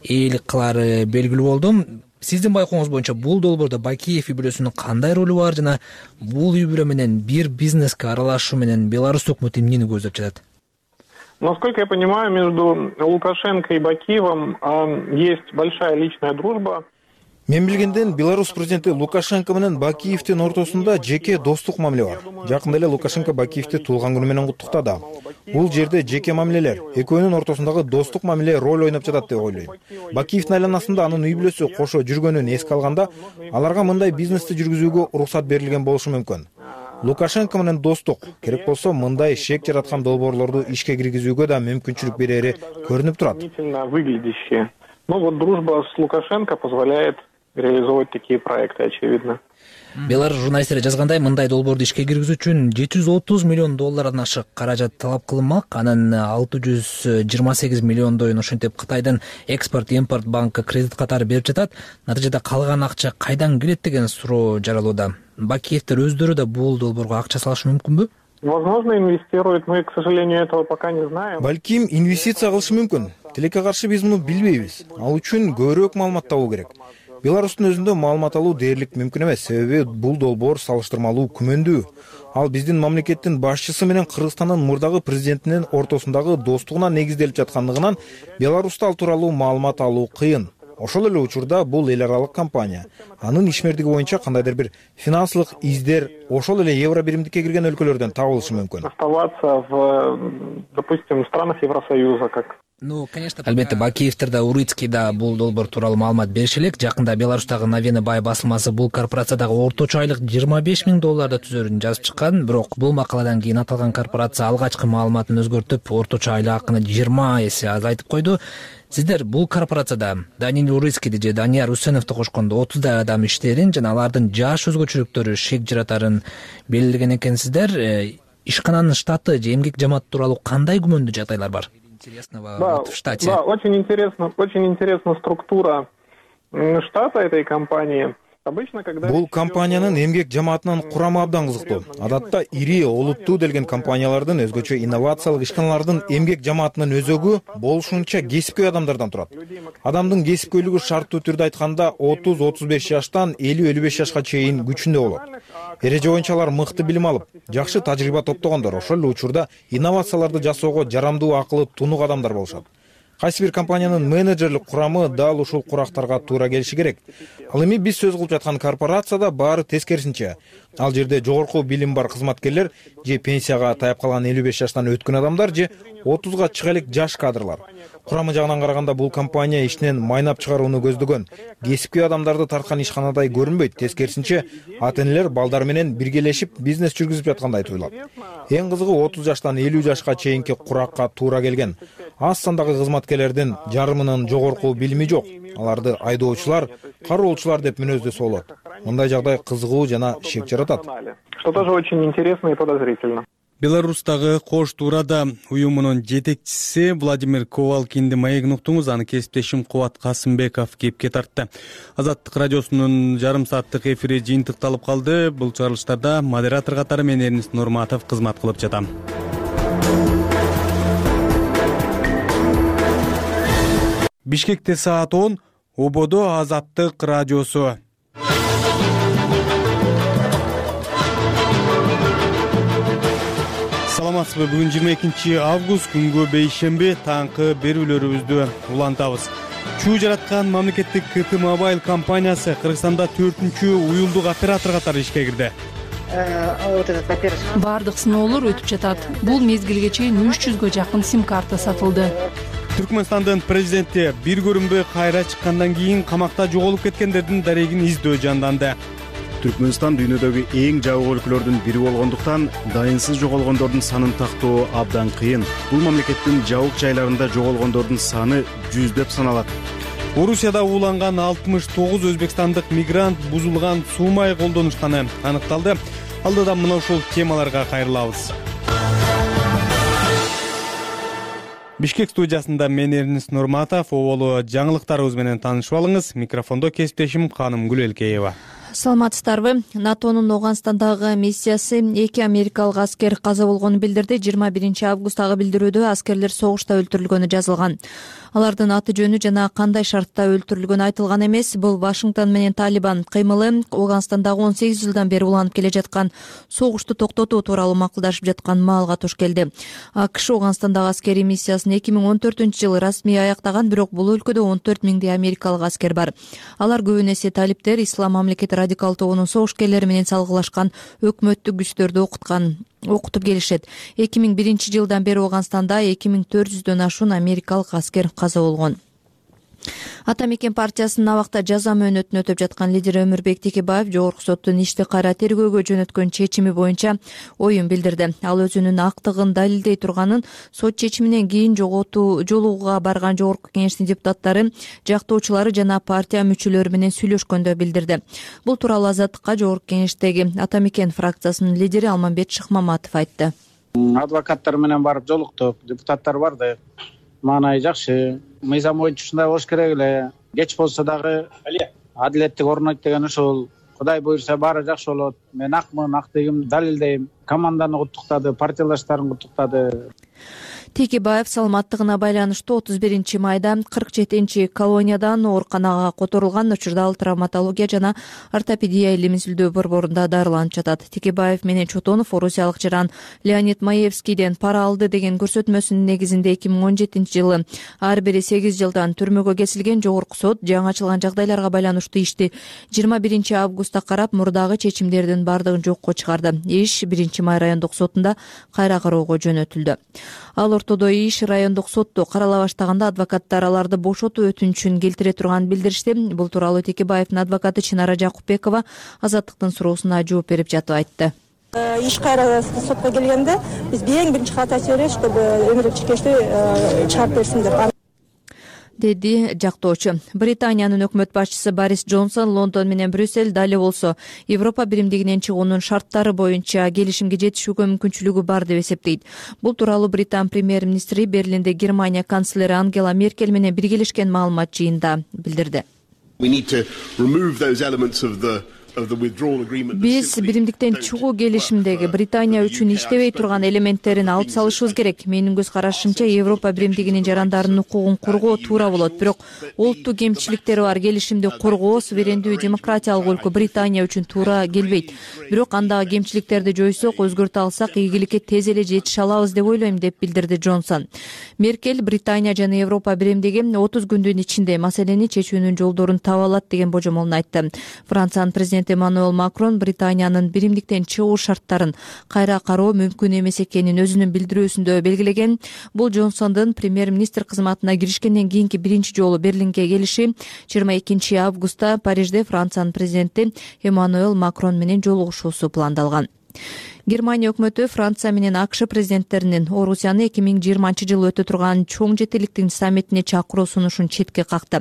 ээлик кылары белгилүү болду. Сиздин байкооңуз боюнча бул долбоордо Бакиев үй бүлөсүнүн кандай ролу бар жана бул үй бүлө менен бир бизнеске аралашуу менен Беларусь өкмөтү эмнени көздөп жатат? Насколько я понимаю, между Лукашенко и Бакиевым есть большая личная дружба. Мен билгенден Беларусь президенти Лукашенко менен Бакиевдин ортосунда жеке достук мамиле бар. Жакында эле Лукашенко Бакиевди туулган күнү менен куттуктады. Бул жерде жеке мамилелер, экөөнүн ортосундагы достук мамиле роль ойноп жатат деп ойлойм. Бакиевдин айланасында анын үй бүлөсү кошо жүргөнүн эске алганда, аларга мындай бизнести жүргүзүүгө уруксат берилген болушу мүмкүн. Лукашенко менен достук, керек болсо мындай шек жараткан долбоорлорду ишке киргизүүгө да мүмкүнчүлүк берери көрүнүп турат. Выглядящие. Но вот дружба с Лукашенко позволяет реализовать такие проекты, очевидно. Беларусь журналисттери жазгандай, мындай долбоорду ишке киргизүү үчүн $730 миллион ашык каражат талап кылынмак. Анан 628 миллиондойун ошентип Кытайдын экспорт-импорт банкы кредит катары берип жатат. Натыйжада калган акча кайдан келет деген суроо жаралууда. Бакиевдер өздөрү да бул долбоорго акча салышы мүмкүнбү? Возможно, инвестируют. Мы, к сожалению, этого пока не знаем. Балким инвестиция кылышы мүмкүн. Тилекке каршы биз муну билбейбиз. Ал үчүн көбүрөөк маалымат табуу керек. Беларустун өзүндө маалымат алуу дээрлик мүмкүн эмес, себеби бул долбоор салыштырмалуу күмөндүү. Ал биздин мамлекеттин башчысы менен Кыргызстандын мурдагы президентинин ортосундагы достугуна негизделип жаткандыгынан Беларусьта ал тууралуу маалымат алуу кыйын. Ошол эле учурда бул эл аралык компания. Анын ишмердиги боюнча кандайдыр бир финансылык издер ошол эле евро биримдикке кирген өлкөлөрдөн табылышы мүмкүн. Оставаться в, допустим, странах Евросоюза, как Албетте Бакиевдер да Урицкий да бул долбоор тууралуу маалымат бериши элек. Жакында Беларустагы Новини бай басылмасы бул корпорациядагы орточо айлык $25 000 түзөрүн жазып чыккан. Бирок бул макаладан кийин аталган корпорация алгачкы маалыматын өзгөртүп, орточо айлык акыны 20 эсе азайтып койду. Сиздер бул корпорацияда Даниэль Урицкийди же Данияр Үсөновду кошкондо 30 адам иштерин жана алардын жаш өзгөчөлүктөрү шек жаратарын белгилеген экенсиздер. Ишкананын штаты же эмгек жамааты тууралуу кандай күмөндүү жагдайлар бар? Да, очень интересна структура штата этой компании. Бул компаниянын эмгек жамаатынын курамы абдан кызыктуу. Адатта ири олуттуу делген компаниялардын өзгөчө инновациялык ишканалардын эмгек жамаатынын өзөгү болушунча кесипкөй адамдардан турат. Адамдын кесипкөйлүгү шарттуу түрдө айтканда 30-35 жаштан 50-55 жашка чейин күчүндө болот. Эреже боюнча алар мыкты билим алып, жакшы тажрыйба топтогондор, ошол эле учурда инновацияларды жасоого жарамдуу акылы тунук адамдар болушат. Кайсы бир компаниянын менеджерлик курамы дал ушул курактарга туура келиши керек. Ал эми биз сөз кылып жаткан корпорацияда баары тескерисинче. Ал жерде жогорку билим бар кызматкерлер же пенсияга таяп калган 55 жаштан өткөн адамдар же 30га чыга элек жаш кадрлар. Курамы жагынан караганда бул компания ишинен майнап чыгарууну көздөгөн. Кесипкөй адамдарды тарткан ишканадай көрүнбөйт. Тескерисинче, ата-энелер балдар менен биргелешип бизнес жүргүзүп жаткандай туюлат. Эң кызыгы 30 жаштан 50 жашка чейинки куракка туура келген. Аз сандагы кызматкерлердин жарымынын жогорку билими жок. Аларды айдоочулар, кароолчулар деп мүнөздөсө болот. Мындай жагдай кызыгуу жана шек жаратат. Что тоже очень интересно и подозрительно. Беларустагы Кош Туурада уюмунун жетекчиси Владимир Ковалкинди маегин уктуңуз. Аны кесиптешим Кубат Касымбеков кепке тартты. Азаттык радиосунун жарым сааттык эфири жыйынтыкталып калды. Бул чыгарылыштарда модератор катары мен Эрнис Нурматов кызмат кылып жатам. Бишкекте саат 10, Ободо Азаттык радиосу. Саламатсызбы? Бүгүн 22 август күнгө бейшемби таңкы берүүлөрүбүздү улантабыз. Чуу жараткан мамлекеттик КТ Мобайл компаниясы Кыргызстанда 4-чү уюлдук оператор катары ишке кирди. Бардык сыноолор өтүп жатат. Бул мезгилге чейин 300гө жакын сим карта сатылды. Түркмөнстандын президенти бир көрүнбөй кайра чыккандан кийин камакта жоголуп кеткендердин дарегин издөө жанданды. Түркмөнстан дүйнөдөгү эң жабык өлкөлөрдүн бири болгондуктан дайынсыз жоголгондордун санын тактоо абдан кыйын. Бул мамлекеттин жабык жайларында жоголгондордун саны жүздөп саналат. Орусияда ууланган 69 өзбекстандык мигрант бузулган суу май колдонушканы аныкталды. Алдыда мына ушул темаларга кайрылабыз. Бишкек студиясында мен Эрнис Нурматов, оболу жаңылыктарыбыз менен таанышып алыңыз. Микрофондо кесиптешим Каным Гүлэлкеева. Саламатсыздарбы? НАТОнун Ооганстандагы миссиясы 2 америкалык аскер каза болгонун билдирди. 21 августтагы билдирүүдө аскерлер согушта өлтүрүлгөнү жазылган. Алардын аты жөнү жана кандай шартта өлтүрүлгөнү айтылган эмес. Бул Вашингтон менен Талибан кыймылы Ооганстандагы 18 жылдан бери уланып келе жаткан согушту токтотуу тууралуу макулдашып жаткан маалга туш келди. АКШ Ооганстандагы аскерий миссиясын 2014-жылы расмий аяктаган, бирок бул өлкөдө 14 миңдей америкалык аскер бар. Алар көбүн эсе талиптер, ислам мамлекети радикал тобунун согушкерлери менен салгылашкан өкмөттүк күчтөрдү окутуп келишет. 2001 жылдан бери Ооганстанда 2400дөн ашуун америкалык аскер каза болгон. Ата мекен партиясынын абакта жаза мөөнөтүн өтөп жаткан лидери Өмүрбек Текебаев жогорку соттун ишти кайра тергөөгө жөнөткөн чечими боюнча оюн билдирди. Ал өзүнүн актыгын далилдей турганын, сот чечиминен кийин жолугууга барган жогорку кеңештин депутаттары, жактоочулары жана партия мүчөлөрү менен сүйлөшкөндө билдирди. Бул тууралуу Азаттыкка жогорку кеңештеги Ата мекен фракциясынын лидери Алмамбет Шыкмаматов айтты. Адвокаттар менен барып жолуктук, депутаттар барды. Маанайы жакшы. Мыйзам боюнча ушундай болуш керек эле. Кеч болсо дагы адилеттик орнойт деген ушул. Кудай буйрса баары жакшы болот. Мен акмын, актыгым далилдейм. Команданы куттуктады, партиялаштарын куттуктады. Текебаев саламаттыгына байланыштуу 31 майда 47 колониядан ооруканага которулган. Учурда ал травматология жана ортопедия илим-изилдөө борборунда дарыланып жатат. Текебаев менен Чотонов орусиялык жаран Леонид Маевскийден пара алды деген көрсөтмөсүнүн негизинде 2017 жылы ар бири 8 жылдан түрмөгө кесилген жогорку сот жаңы ачылган жагдайларга байланыштуу ишти 21 августта карап мурдагы чечимдердин бардыгын жокко чыгарды. Иш 1 май райондук сотунда кайра кароого жөнөтүлдү. Ал ортодо иш райондук сотто карала баштаганда адвокаттар аларды бошотуу өтүнүчүн келтире турганын билдиришти. Бул тууралуу Текебаевдин адвокаты Чынара Жакупбекова Азаттыктын суроосуна жооп берип жатып айтты. Иш кайра сотко келгенде биз эң биринчи кат айта беребиз, чтобы өмүрлүк чекешти чыгарып берсин деп, деди жактоочу. Британиянын өкмөт башчысы Борис Джонсон Лондон менен Брюссель дали болсо Европа биримдигинен чыгуунун шарттары боюнча келишимге жетишүүгө мүмкүнчүлүгү бар деп эсептейт. Бул тууралуу Британ премьер-министри Берлинде Германия канцлери Ангела Меркель менен биргелешкен маалымат жыйынында билдирди. Биз биримдиктен чыгуу келишимдеги Британия үчүн иштебей турган элементтерин алып салышыбыз керек. Менин көз карашымча Европа биримдигинин жарандарынын укугун коргоо туура болот, бирок улуттук кемчиликтери бар келишимди коргоо суверендүү демократиялык өлкө Британия үчүн туура келбейт. Бирок андагы кемчиликтерди жойсок, өзгөртө алсак ийгиликке тез эле жетише алабыз деп ойлойм, деп билдирди Джонсон. Меркель Британия жана Европа биримдиги 30 күндүн ичинде маселени чечүүнүн жолдорун таба алат деген божомолун айтты. Франциянын президенти Эммануэл Макрон Британиянын биримдиктен чыгуу шарттарын кайра кароо мүмкүн эмес экенин өзүнүн билдирүүсүндө белгилеген. Бул Джонсондун премьер-министр кызматына киришкенден кийинки биринчи жолу Берлинге келиши. 22 августта Парижде Франциянын президенти Эммануэл Макрон менен жолугушуусу пландалган. Германия өкмөтү Франция менен АКШ президенттеринин Орусияны 2020-жылы өтө турган чоң жетиликтин саммитине чакыруу сунушун четке какты.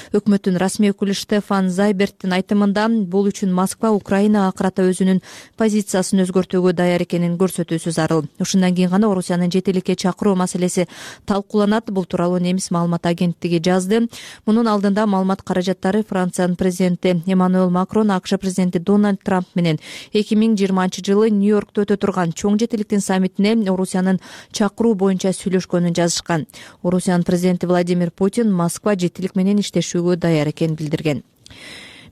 Өкмөттүн расмий өкүлү Штефан Зайберттин айтымында бул үчүн Москва Украинага карата өзүнүн позициясын өзгөртүүгө даяр экенин көрсөтүүсү зарыл. Ушундан кийин гана Орусияны жетиликке чакыруу маселеси талкууланат. Бул тууралуу немис маалымат агенттиги жазды. Мунун алдында маалымат каражаттары Франциянын президенти Эммануэль Макрон, АКШ президенти Дональд Трамп менен 2020-жылы Нью-Йоркто өтө турган чоң жетиликтин саммитине Орусиянын чакыруу боюнча сүйлөшкөнүн жазышкан. Орусиянын президенти Владимир Путин Москва жетилик менен иштешүүгө даяр экенин билдирген.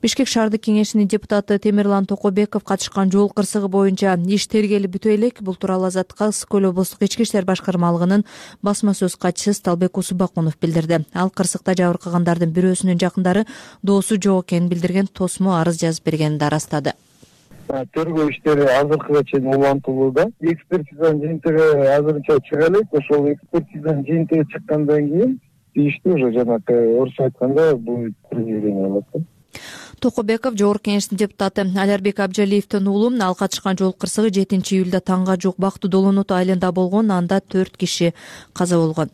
Бишкек шаардык кеңешинин депутаты Темирлан Токобеков катышкан жол кырсыгы боюнча иш тергелип бүтө элек. Бул тууралуу Азаттыкка Ысык көл облустук ички иштер башкармалыгынын басма сөз катчысы Сталбек Усубакунов билдирди. Ал кырсыкта жабыркагандардын бирөөсүнүн жакындары доосу жок экенин билдирген, тосмо арыз жазып бергенин да ырастады. Тергөө иштери азыркыга чейин улантылууда. Экспертизанын жыйынтыгы азырынча чыга элек. Ошол экспертизанын жыйынтыгы чыккандан кийин ишти уже жанагы орусча айтканда бул проведение болот. Токобеков жогорку кеңештин депутаты Алярбек Абжалиевдин уулу. Ал катышкан жол кырсыгы 7-июлда таңга жук Бактуу Долоноту айылында болгон. Анда 4 киши каза болгон.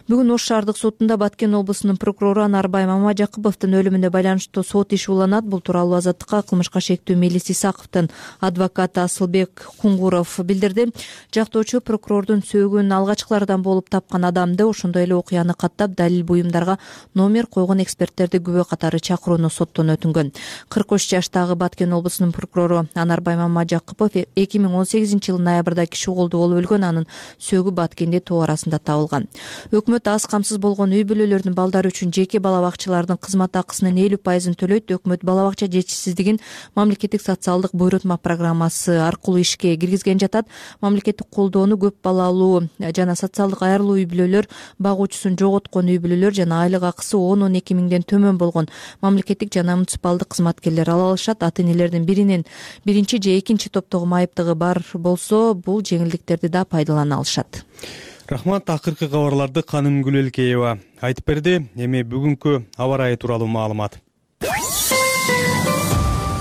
Бүгүн Ош шаардык сотунда Баткен облусунун прокурору Анарбай Мамажакыповдун өлүмүнө байланыштуу сот иши уланат. Бул тууралуу Азаттыкка кылмышка шектүү Мелис Исаковдун адвокаты Асылбек Куңгуров билдирди. Жактоочу прокурордун сөөгүн алгачкылардан болуп тапкан адамды, ошондой эле окуяны каттап далил буюмдарга номер койгон эксперттерди күбө катары чакырууну соттон өтүнгөн. 43 жаштагы Баткен облусунун прокурору Анарбай Мамажакыпов 2018-жылы ноябрда киши колдуу болуп өлгөн. Анын сөөгү Баткенде тоо арасында табылган. Өкмөт аз камсыз болгон үй бүлөлөрдүн балдары үчүн жеке бала бакчалардын кызмат акысынын 50% төлөйт. Өкмөт бала бакча жетишсиздигин мамлекеттик социалдык буйрутма программасы аркылуу ишке киргизген жатат. Мамлекеттик колдоону көп балалуу жана социалдык аярлуу үй бүлөлөр, багуучусун жоготкон үй бүлөлөр жана айлык акысы 10-12 миңден төмөн болгон мамлекеттик жана муниципалдык кызматкерлер ала алышат. Ата-энелердин биринчи же экинчи топтогу майыптыгы бар болсо, бул жеңилдиктерди да пайдалана алышат. Рахмат. Акыркы кабарларды Каным Гүлөлкеева айтып берди. Эми бүгүнкү аба ырайы тууралуу маалымат.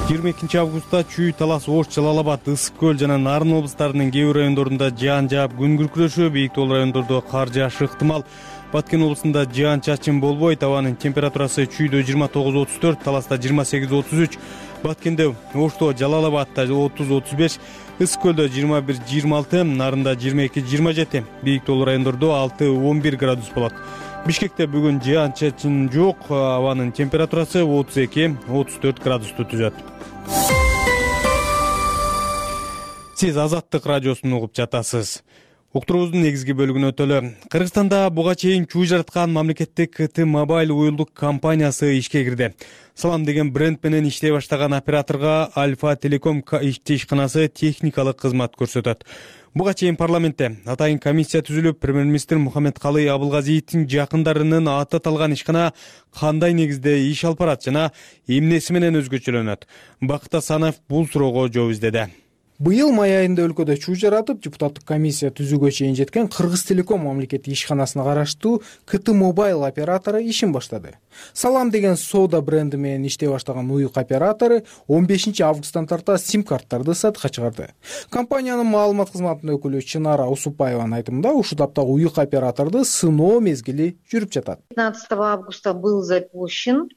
22 августта Чүй, Талас, Ош, Жалал-Абад, Ысык көл жана Нарын облустарынын кээ бир райондорунда жаан жаап күн күркүрөшүп, бийик тоол райондордо кар жаашы ыктымал. Баткен облусунда жаан чачын болбойт. Абанын температурасы Чүйдө 29-34, Таласта 28-33, Баткенде, Ошто, Жалал-Абадта 30-35, Ысык көлдө 21-26, Нарында 22-27, бийик тоол райондордо 6-11 градус болот. Бишкекте бүгүн жаан чачын жок. Абанын температурасы 32-34 градусту түзөт. Сиз Азаттык радиосун угуп жатасыз. Уктуруубуздун негизги бөлүгүнө өтөлү. Кыргызстанда буга чейин чүй жараткан мамлекеттик КТ Мобайл уюлдук компаниясы ишке кирди. Салам деген бренд менен иштей баштаган операторго Альфа Телеком ишканасы техникалык кызмат көрсөтөт. Буга чейин парламентте атайын комиссия түзүлүп, премьер-министр Мухаммедкалый Абылгазиевдин жакындарынын аты аталган ишкана кандай негизде иш алып барат жана эмнеси менен өзгөчөлөнөт? Бакыт Асанов бул суроого жооп издеди. Быйыл май айында өлкөдө чүй жаратып, депутаттык комиссия түзүүгө чейин жеткен Кыргыз Телеком мамлекеттик ишканасына караштуу КТ Мобайл оператору ишин баштады. Салам деген соода бренди менен иштей баштаган уюк оператору 15 августтан тарта сим-карттарды сатышка чыгарды. Компаниянын маалымат кызматынын өкүлү Чынара Усупаеванын айтымында, ушул таптагы уюк операторду сыноо мезгили жүрүп жатат. 15 августа был запущен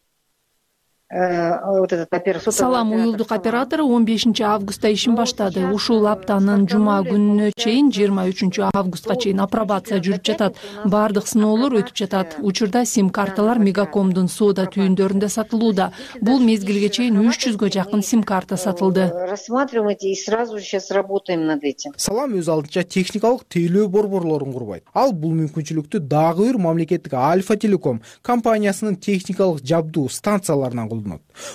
Салам уюлдук оператору 15 августта ишин баштады. Ушул аптанын жума күнүнө чейин 23 августка чейин апробация жүрүп жатат. Бардык сыноолор өтүп жатат. Учурда сим-карталар Мегакомдун соода түйүндөрүндө сатылууда. Бул мезгилге чейин 300гө жакын сим-карта сатылды. Рассматривайте и сразу же сейчас работаем над этим. Салам өз алдынча техникалык тейлөө борборлорун курбайт. Ал бул мүмкүнчүлүктү дагы бир мамлекеттик Альфа Телеком компаниясынын техникалык жабдуу станцияларынан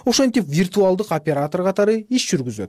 Ошентип виртуалдык оператор катары иш жүргүзөт.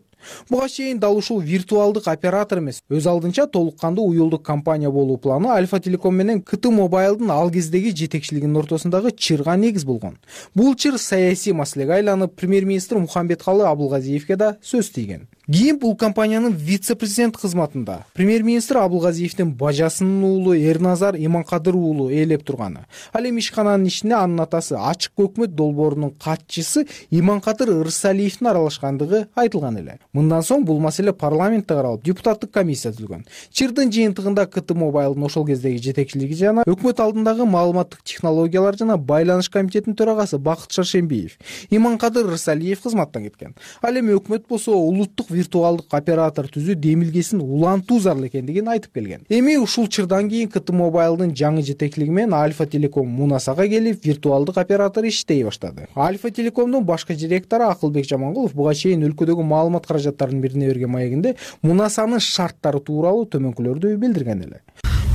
Буга чейин дал ушул виртуалдык оператор эмес, өз алдынча толук кандуу уюлдук компания болуу планы Альфа Телеком менен КТ Мобайлдын ал кездеги жетекчилигинин ортосундагы чырга негиз болгон. Бул чыр саясий маселеге айланып, премьер-министр Мухаммедкалый Абылгазиевге да сөз тийген. Кийин бул компаниянын вице-президент кызматында премьер-министр Абылгазиевдин бажасынын уулу Эрназар Иманкадыр уулу ээлеп турганы. Ал эми ишкананын ичине анын атасы ачык өкмөт долбоорунун катчысы Иманкадыр Ырсалиевдин аралашкандыгы айтылган эле. Мындан соң бул маселе парламентте каралып, депутаттык комиссия түзүлгөн. Чырдын жыйынтыгында КТ Мобайлдын ошол кездеги жетекчилиги жана өкмөт алдындагы маалыматтык технологиялар жана байланыш комитетинин төрагасы Бакыт Шаршембиев Иманкадыр Ырсалиев кызматтан кеткен. Ал эми өкмөт болсо улуттук виртуалдык оператор түзүү демилгесин улантуу зарыл экендигин айтып келген. Эми ушул чырдан кийин КТ Мобайлдын жаңы жетекчилиги менен Альфа Телеком Мунасага келип, виртуалдык оператор иштей баштады. Альфа Телекомдун башкы директору Акылбек Жамангулов буга чейин өлкөдөгү маалымат каражаттарынын бирине берген маегинде Мунасанын шарттары тууралуу төмөнкүлөрдү билдирген эле.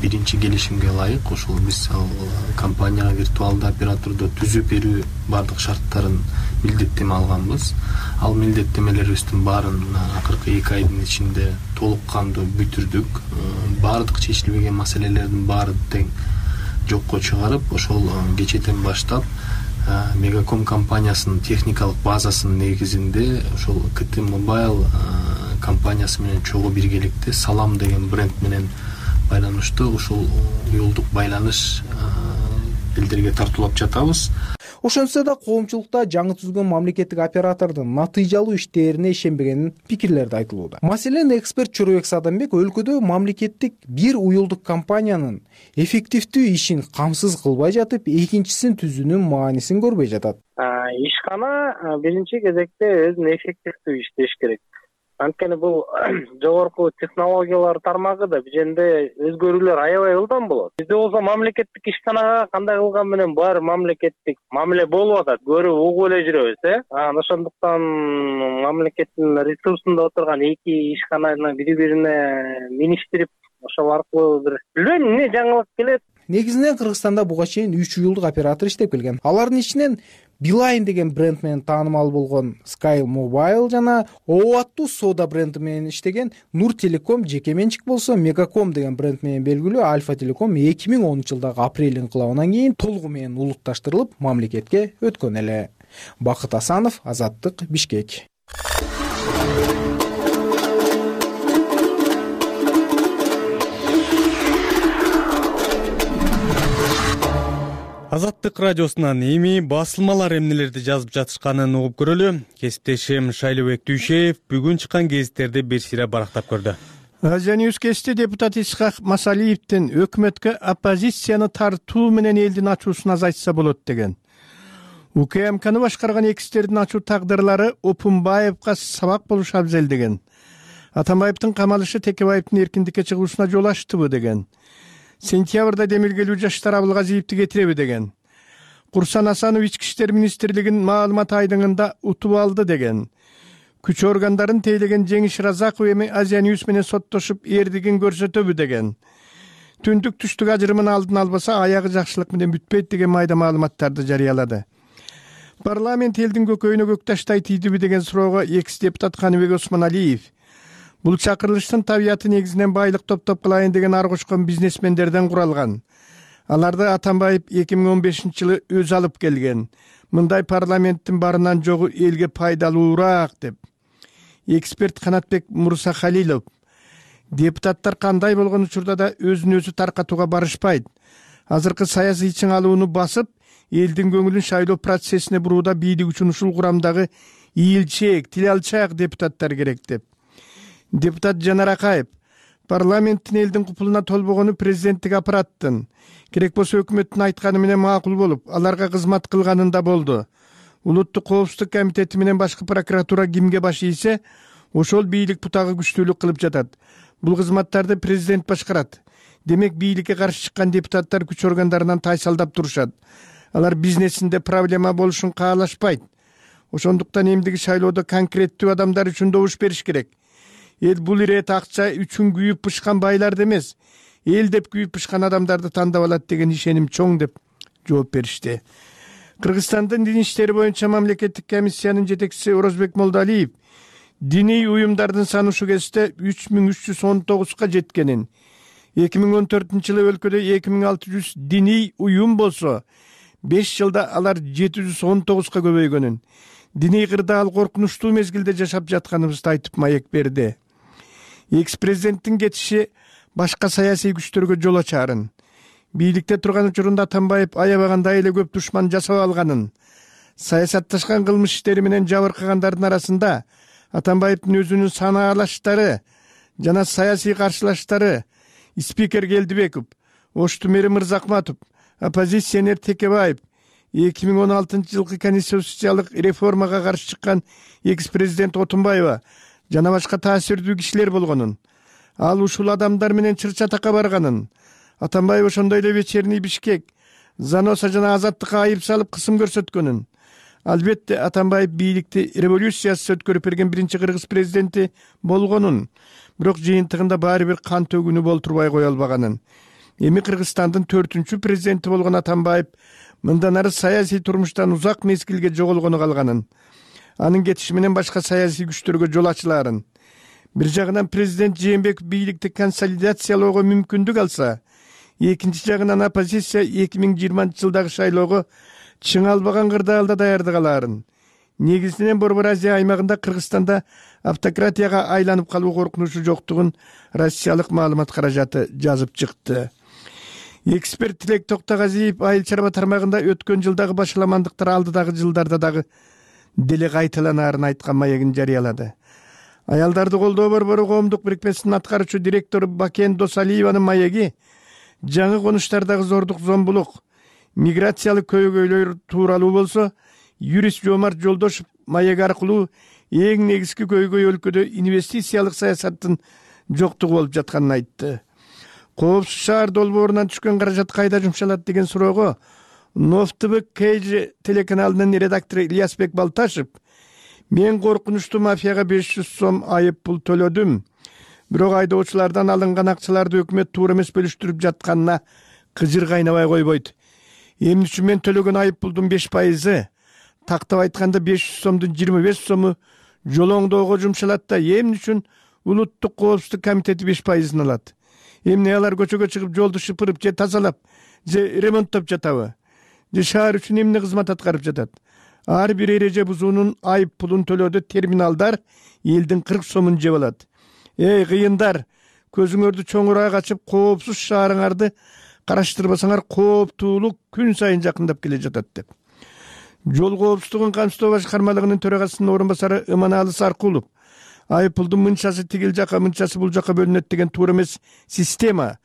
Биринчи келишимге ылайык ошол биз компанияга виртуалдуу операторду түзүп берүү бардык шарттарын милдеттеме алганбыз. Ал милдеттемелерибиздин баарын акыркы 2 айдын ичинде толук кандуу бүтүрдүк. Бардык чечилбеген маселелердин баарын тең жокко чыгарып, ошол кечэтен баштап Мегаком компаниясынын техникалык базасынын негизинде ошол КТ Mobile компаниясы менен чогуу биргеликте Салам деген бренд менен байланыштуу ушул уюлдук байланыш элдерге тартуулап жатабыз. Ошонсо да коомчулукта жаңы түзүлгөн мамлекеттик оператордун натыйжалуу иштээрине ишенбеген пикирлерди айтылууда. Маселен, эксперт Чорубек Садамбек өлкөдө мамлекеттик бир уюлдук компаниянын эффективдүү ишин камсыз кылбай жатып, экинчисин түзүүнүн маанисин көрбөй жатат. Ишкана биринчи кезекте өзүн эффективдүү иштеш керек. Анткени бул жогорку технологиялар тармагы да биженде өзгөрүүлөр аябай ылдам болот. Бизде болсо мамлекеттик ишканага кандай кылган менен баары мамлекеттик мамиле болуп атат, көрүп угуп эле жүрөбүз, Ошондуктан мамлекеттин ресурсунда отурган эки ишкананы бири-бирине миништирип, ошол аркылуу бир билбейм эмне жаңылык келет. Негизинен Кыргызстанда буга чейин 3 уюлдук оператор иштеп келген. Алардын ичинен Билайн деген бренд менен таанымал болгон Sky Mobile жана Оаттуу Сода бренди менен иштеген Нур Телеком жеке менчик болсо, Мегаком деген бренд менен белгилүү Альфа Телеком 2010-жылдагы апрель инкылабынан кийин толугу менен улутташтырылып, мамлекетке өткөн эле. Бакыт Асанов, Азаттык, Бишкек. Азаттык радиосунан эми басылмалар эмнелерди жазып жатышканын угуп көрөлү. Кесиптешим Шайлыбек Дүйшеев бүгүн чыккан гезиттерди бир сыйра барактап көрдү. Азия Ньюс кести депутат Исхак Масалиевдин өкмөткө оппозицияны тартуу менен элдин ачуусун азайтса болот деген. УКМКны башкарган экстердин ачуу тагдырлары Опунбаевга сабак болушу абзел деген. Атамбаевдин камалышы Текебаевдин эркиндикке чыгуусуна жол ачтыбы деген. Сентябрда демилгелүү жаштар Абылгазиевди кетиреби деген. Курсан Асанов Ички иштер министрлигинин маалымат айдыңында утуп алды деген. Күч органдарын тейлеген Жеңиш Разаков эми Азия Ньюс менен соттошуп эрдигин көрсөтөбү деген. Түндүк түштүк ажырымын алдын албаса аягы жакшылык менен бүтпөйт деген майда маалыматтарды жарыялады. Парламент элдин көкөйүнө көк таштай тийдиби деген суроого экс-депутат Каныбек Осмоналиев бул чакырылыштын табияты негизинен байлык топтоп кылайын деген ар кошкон бизнесмендерден куралган. Аларды Атамбаев 2015-жылы өзү алып келген. Мындай парламенттин барынан жогу элге пайдалуураак деп. Эксперт Канатбек Мурсахалилов депутаттар кандай болгон учурда да өзүн өзү таркатууга барышпайт. Азыркы саясий чыңалууну басып, элдин көңүлүн шайлоо процессине бурууда бийлик үчүн ушул курамдагы ийилчээк, тил алчаак депутаттар керек деп. Депутат Жанар Акаев парламенттин элдин купулуна толбогону президенттик аппараттын, керек болсо өкмөттүн айтканы менен макул болуп, аларга кызмат кылганында болду. Улуттук коопсуздук комитети менен башкы прокуратура кимге баш ийсе, ошол бийлик бутагы күчтүүлүк кылып жатат. Бул кызматтарды президент башкарат. Демек бийликке каршы чыккан депутаттар күч органдарынан тайсалдап турушат. Алар бизнесинде проблема болушун каалашпайт. Ошондуктан эмдиги шайлоодо конкреттүү адамдар үчүн добуш бериш керек. Эл бул ирет акча үчүн күйүп пышкан байларды эмес, эл деп күйүп пышкан адамдарды тандап алат деген ишеним чоң деп жооп беришти. Кыргызстандын дин иштери боюнча мамлекеттик комиссиянын жетекчиси Орозбек Молдалиев диний уюмдардын саны ушул кезде 3319га жеткенин, 2014-жылы өлкөдө 2600 диний уюм болсо, 5 жылда алар 719га көбөйгөнүн, диний кырдаал коркунучтуу мезгилде жашап жатканыбызды айтып маек берди. Экс президенттин кетиши башка саясий күчтөргө жол ачаарын, бийликте турган учурунда Атамбаев аябагандай эле көп душман жасап алганын, саясатташкан кылмыш иштери менен жабыркагандардын арасында Атамбаевдин өзүнүн санаалаштары жана саясий каршылаштары спикер Келдибеков, Ошту мэри Мырзахматов, оппозиционер Текебаев, 2016 жылкы конституциялык реформага каршы чыккан экс-президент Отунбаева жана башка таасирдүү кишилер болгонун, ал ушул адамдар менен Чыр-Чатакка барганын, Атамбаев ошондой эле Вечерний Бишкек, Заноса жана Азаттыкка айып салып кысым көрсөткөнүн. Албетте Атамбаев бийликти революциясыз өткөрүп берген биринчи кыргыз президенти болгонун, бирок жыйынтыгында баары бир кан төгүүнү болтурбай кое албаганын. Эми Кыргызстандын 4-чү президенти болгон Атамбаев мындан ары саясий турмуштан узак мезгилге жоголгону калганын, анын кетиши менен башка саясий күчтөргө жол ачылаарын. Бир жагынан президент Жээнбеков бийликти консолидациялоого мүмкүндүк алса, экинчи жагынан оппозиция 2020 жылдагы шайлоого чың албаган кырдаалда даярдык алаарын. Негизинен Борбор Азия аймагында Кыргызстанда автократияга айланып калуу коркунучу жоктугун Россиялык маалымат каражаты жазып чыкты. Эксперт Тилек Токтогазиев айыл чарба тармагында өткөн жылдагы башаламандыктар алдыдагы жылдарда дагы деле кайталанаарын айткан маегин жарыялады. Аялдарды колдоо борбору коомдук бирикмесинин аткаруучу директору Бакен Досалиеванын маеги жаңы конуштардагы зордук зомбулук, миграциялык көйгөйлөр тууралуу болсо, юрист Жомарт Жолдошев маеги аркылуу эң негизги көйгөй өлкөдө инвестициялык саясаттын жоктугу болуп жатканын айтты. Коопсуз шаар долбоорунан түшкөн каражат кайда жумшалат деген суроого НОВ-ТВ КЖ телеканалынын редактору Ильясбек Балташев: мен коркунучтуу мафияга 500 сом айып пул төлөдүм. Бирок айдоочулардан алынган акчаларды өкмөт туура эмес бөлүштүрүп жатканына кыжыр кайнабай койбойт. Эмне үчүн мен төлөгөн айып пулдун 5%, тактап айтканда 500 сомдун 25 сому жол оңдоого жумшалат да, эмне үчүн Улуттук коопсуздук комитети 5%ын алат? Эмне алар көчөгө чыгып жолду шыпырып же тазалап, же ремонттоп жатабы? Же шаар үчүн эмне кызмат аткарып жатат? Ар бир эреже бузуунун айып пулун төлөөдө терминалдар элдин 40 сомун жеп алат. Эй кыйындар, көзүңөрдү чоңураак ачып, коопсуз шаарыңарды караштырбасаңар кооптуулук күн сайын жакындап келе жатат деп. Жол коопсуздугун камсыздоо башкармалыгынын төрагасынын орун басары Иманалы Саркулов: айып пулдун мынчасы тигил жака, мынчасы бул жака бөлүнөт деген туура эмес система.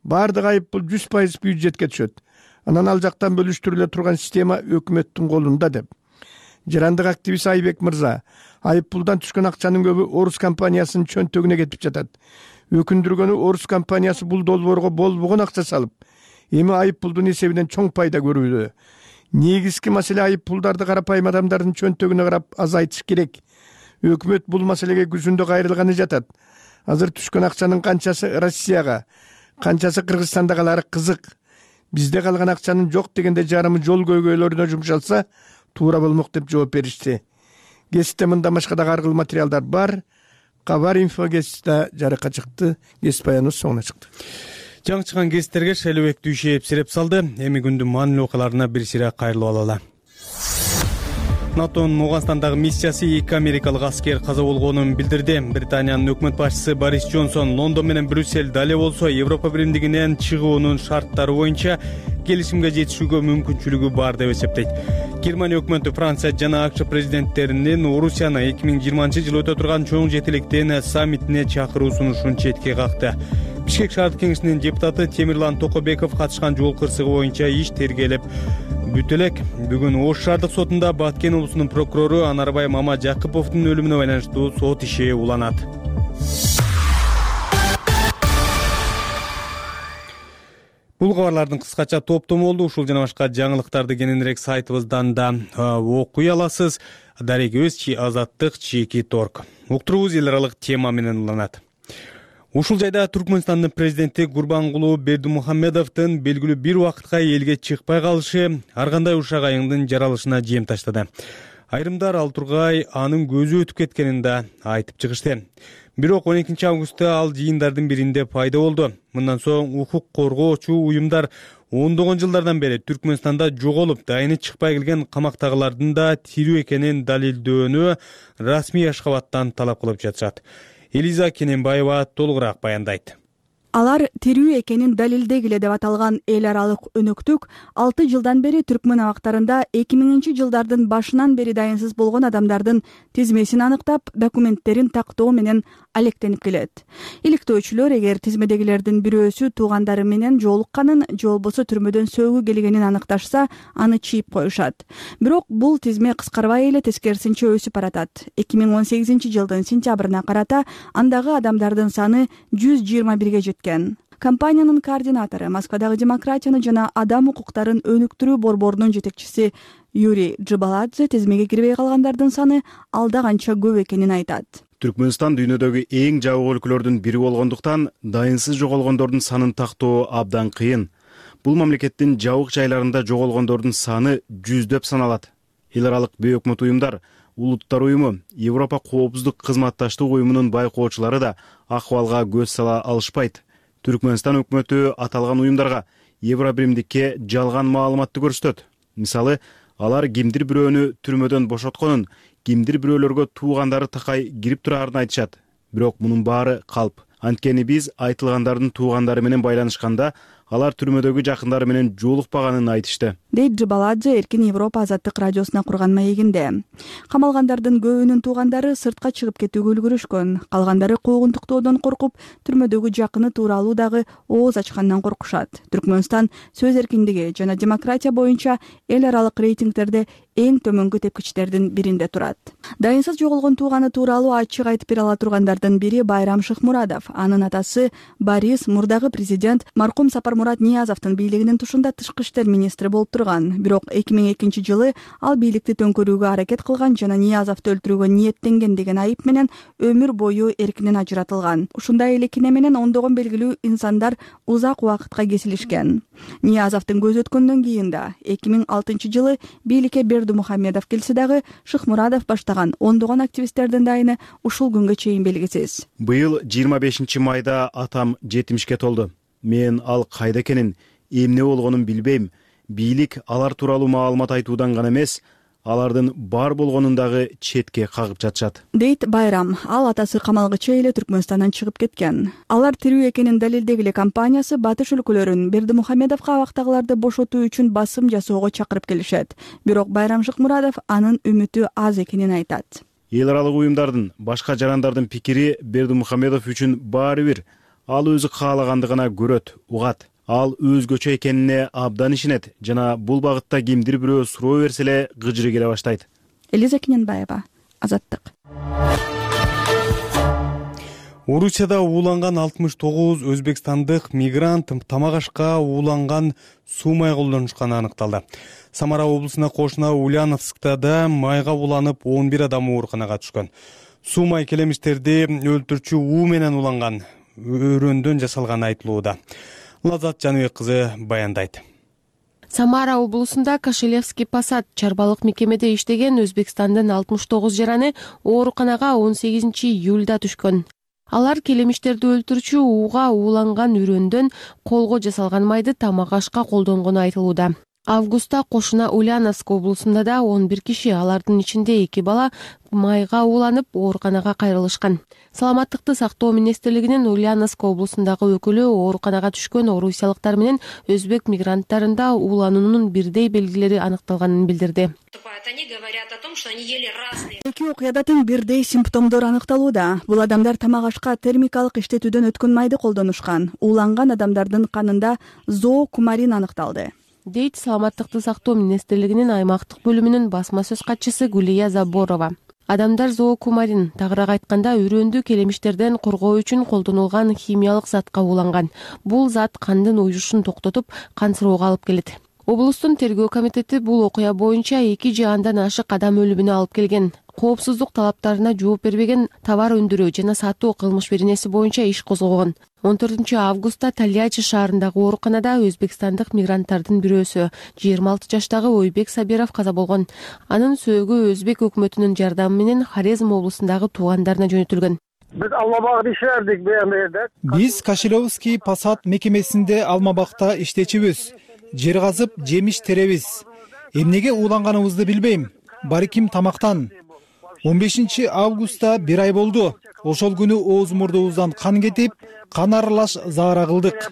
Бардык айып пул 100% бюджетке түшөт. Анан ал жактан бөлүштүрүлө турган система өкмөттүн колунда деп. Жарандык активист Айбек Мырза: айып пулдан түшкөн акчанын көбү Орус компаниясынын чөнтөгүнө кетип жатат. Өкүндүргөнү Орус компаниясы бул долбоорго болбогон акча салып, эми айып пулдун эсебинен чоң пайда көрүүдө. Негизги маселе айып пулдарды карапайым адамдардын чөнтөгүнө карап азайтыш керек. Өкмөт бул маселеге күзүндө кайрылганы жатат. Азыр түшкөн акчанын канчасы Россияга, канчасы Кыргызстанда калары кызык. Бизде калган акчанын жок дегенде жарымы жол көйгөйлөрүнө жумшалса туура болмок деп жооп беришти. Гезитте мындан башка да аркылуу материалдар бар. Кабар инфо гезитте жарыкка чыкты. Гезит баяныбыз соңуна чыкты. Жаңы чыккан гезиттерге Шайлообек Дүйшеев сереп салды. Эми күндүн маанилүү окуяларына бир сыйра кайрылып алалы. НАТОнун Ооганстандагы миссиясы 2 америкалык аскер каза болгонун билдирди. Британиянын өкмөт башчысы Борис Джонсон Лондон менен Брюссель дале болсо Европа биримдигинен чыгуунун шарттары боюнча келишимге жетишүүгө мүмкүнчүлүгү бар деп эсептейт. Германия өкмөтү Франция жана АКШ президенттеринин Орусияны 2020 өтө турган чоң жетиликтин саммитине чакыруу сунушун четке какты. Бишкек шаардык кеңешинин депутаты Темирлан Токобеков катышкан жол кырсыгы боюнча иш тергелеп бүтө элек. Бүгүн Ош шаардык сотунда Баткен облусунун прокурору Анарбай Мамажакыповдун өлүмүнө байланыштуу сот иши уланат. Бул кабарлардын кыскача топтому болду. Ушул жана башка жаңылыктарды кененирээк сайтыбыздан да окуй аласыз. Дарек-өз, Азаттык, Чеки-торг. Уктуруубуз эл аралык тема менен уланат. Ушул жайда Түркмөнстандын президенти Гурбангулуу Бердимухамедовдун белгилүү бир убакытка элге чыкпай калышы ар кандай ушак айыңдын жаралышына жем таштады. Айрымдар ал тургай анын көзү өтүп кеткенин да айтып чыгышты. Бирок 12 августта ал жыйындардын биринде пайда болду. Мындан соң укук коргоочу уюмдар ондогон жылдардан бери Түркмөнстанда жоголуп дайыны чыкпай келген камактагылардын да тирүү экенин далилдөөнү расмий Ашхабадтан талап кылып жатышат. Элиза Кененбаева толугураак баяндайт. Алар тирүү экенин далилдегиле деп аталган эл аралык өнөктүк 6 жылдан бери Түркмөн абактарында 2000-жылдардын башынан бери дайынсыз болгон адамдардын тизмесин аныктап, документтерин тактоо менен алектенип келет. Иликтөөчүлөр эгер тизмедегилердин бирөөсү туугандары менен жолукканын, же болбосо түрмөдөн сөөгү келгенин аныкташса, аны чийип коюшат. Бирок бул тизме кыскарбай эле тескерисинче өсүп баратат. 2018-жылдын сентябрына карата андагы адамдардын саны 121-ге жеткен. Компаниянын координатору, Москвадагы демократияны жана адам укуктарын өнүктүрүү борборунун жетекчиси Юрий Джибаладзе тизмеге кирбей калгандардын саны алда канча көп экенин айтат. Түркмөнстан дүйнөдөгү эң жабык өлкөлөрдүн бири болгондуктан дайынсыз жоголгондордун санын тактоо абдан кыйын. Бул мамлекеттин жабык жайларында жоголгондордун саны жүздөп саналат. Эл аралык бейөкмөт уюмдар, Улуттар уюму, Европа коопсуздук кызматташтык уюмунун байкоочулары да акыбалга көз сала алышпайт. Түркмөнстан өкмөтү аталган уюмдарга Евробиримдикке жалган маалыматты көрсөтөт. Мисалы, алар кимдир бирөөнү түрмөдөн бошотконун, кимдир бирөөлөргө туугандары такай кирип турарын айтышат. Бирок мунун баары калп. Анткени биз айтылгандардын туугандары менен байланышканда, алар түрмөдөгү жакындары менен жолукпаганын айтышты. Дейт Джибаладзе Эркин Европа азаттык радиосуна курган маегинде. Камалгандардын көбүнүн туугандары сыртка чыгып кетүүгө үлгүрүшкөн. Калгандары куугунтуктоодон коркуп, түрмөдөгү жакыны тууралуу дагы ооз ачкандан коркушат. Түркмөнстан сөз эркиндиги жана демократия боюнча эл аралык рейтингтерде эң төмөнкү тепкичтердин биринде турат. Дайынсыз жоголгон тууганы тууралуу ачык айтып бере ала тургандардын бири Байрам Шыкмурадов. Анын атасы Борис мурдагы президент маркум Сапармурат Ниязовдун бийлигинин тушунда тышкы иштер министри болуп турган. Бирок 2002-жылы ал бийликти төңкөрүүгө аракет кылган жана Ниязовду өлтүрүүгө ниеттенген деген айып менен өмүр бою эркинен ажыратылган. Ушундай эле кине менен ондогон белгилүү инсандар узак убакытка кесилишкен. Ниязовдун көз өткөндөн кийин да 2006-жылы бийликке Бердымухамедов келсе дагы Шыкмурадов баштаган ондогон активисттердин дайыны ушул күнгө чейин белгисиз. Быйыл 25-майда атам 70-ке толду. Мен ал кайда экенин, эмне болгонун билбейм. Бийлик алар тууралуу маалымат айтуудан гана эмес, алардын бар болгонун дагы четке кагып жатышат. Дейт Байрам. Ал атасы камалгыча эле Түркмөнстандан чыгып кеткен. Алар тирүү экенин далилдегиле компаниясы батыш өлкөлөрүн Бердымухамедовго абактагыларды бошотуу үчүн басым жасоого чакырып келишет. Бирок Байрам Шыкмурадов анын үмүтү аз экенин айтат. Эл аралык уюмдардын, башка жарандардын пикири Бердымухамедов үчүн баары бир. Ал өзү каалаганды гана көрөт, угат. Ал өзгөчө экенине абдан ишенет жана бул багытта кимдир бирөө суроо берсе эле гыжыры келе баштайт. Элиза Кененбаева, Азаттык. Орусияда ууланган 69 өзбекстандык мигрант тамак ашка ууланган суу май колдонушканы аныкталды. Самара облусуна кошуна Ульяновскта да майга ууланып 11 адам ооруканага түшкөн. Суу май келемиштерди өлтүрчү уу менен ууланган, өрөөндөн жасалганы айтылууда. Лазат Жаныбек кызы баяндайт. Самара облусунда Кашелевский Посад чарбалык мекемеде иштеген Өзбекстандын 69 жараны ооруканага 18-июлда түшкөн. Алар келемиштерди өлтүрчү ууга ууланган өрөөндөн колго жасалган майды тамак ашка колдонгону айтылууда. Августта кошуна Ульяновск облусунда да 11 киши, алардын ичинде 2 бала майга ууланып ооруканага кайрылышкан. Саламаттыкты сактоо министрлигинин Ульяновск облусундагы өкүлү ооруканага түшкөн орусиялыктар менен өзбек мигранттарында уулануунун бирдей белгилери аныкталганын билдирди. Эки окуяда тең бирдей симптомдор аныкталууда. Бул адамдар тамак ашка термикалык иштетүүдөн өткөн майды колдонушкан. Ууланган адамдардын канында зоокумарин аныкталды. Дейт Саламаттыкты сактоо министрлигинин аймактык бөлүмүнүн басма сөз катчысы Гулия Заборова. Адамдар зоокумарин, тагыраак айтканда өрөөндү келемиштерден коргоо үчүн колдонулган химиялык затка ууланган. Бул зат кандын уюшун токтотуп, кан сыроого алып келет. Облустун тергөө комитети бул окуя боюнча 2 же андан ашык адам өлүмүнө алып келген. Коопсуздук талаптарына жооп бербеген товар өндүрүү жана сатуу кылмыш беренеси боюнча иш козгогон. 14 августта Тольятти шаарындагы ооруканада өзбекстандык мигранттардын бирөөсү 26 жаштагы Ойбек Сабиров каза болгон. Анын сөөгү өзбек өкмөтүнүн жардамы менен Хорезм облусундагы туугандарына жөнөтүлгөн. Биз Алмабагда иштедик, Биз Кашелевский Посад мекемесинде Алмабакта иштечүбүз. жер казып жемиш теребиз. Эмнеге ууланганыбызды билбейм. Бариким тамактан. 15 августта 1 ай болду. Ошол күнү ооз мурдубуздан кан кетип, кан аралаш заара кылдык.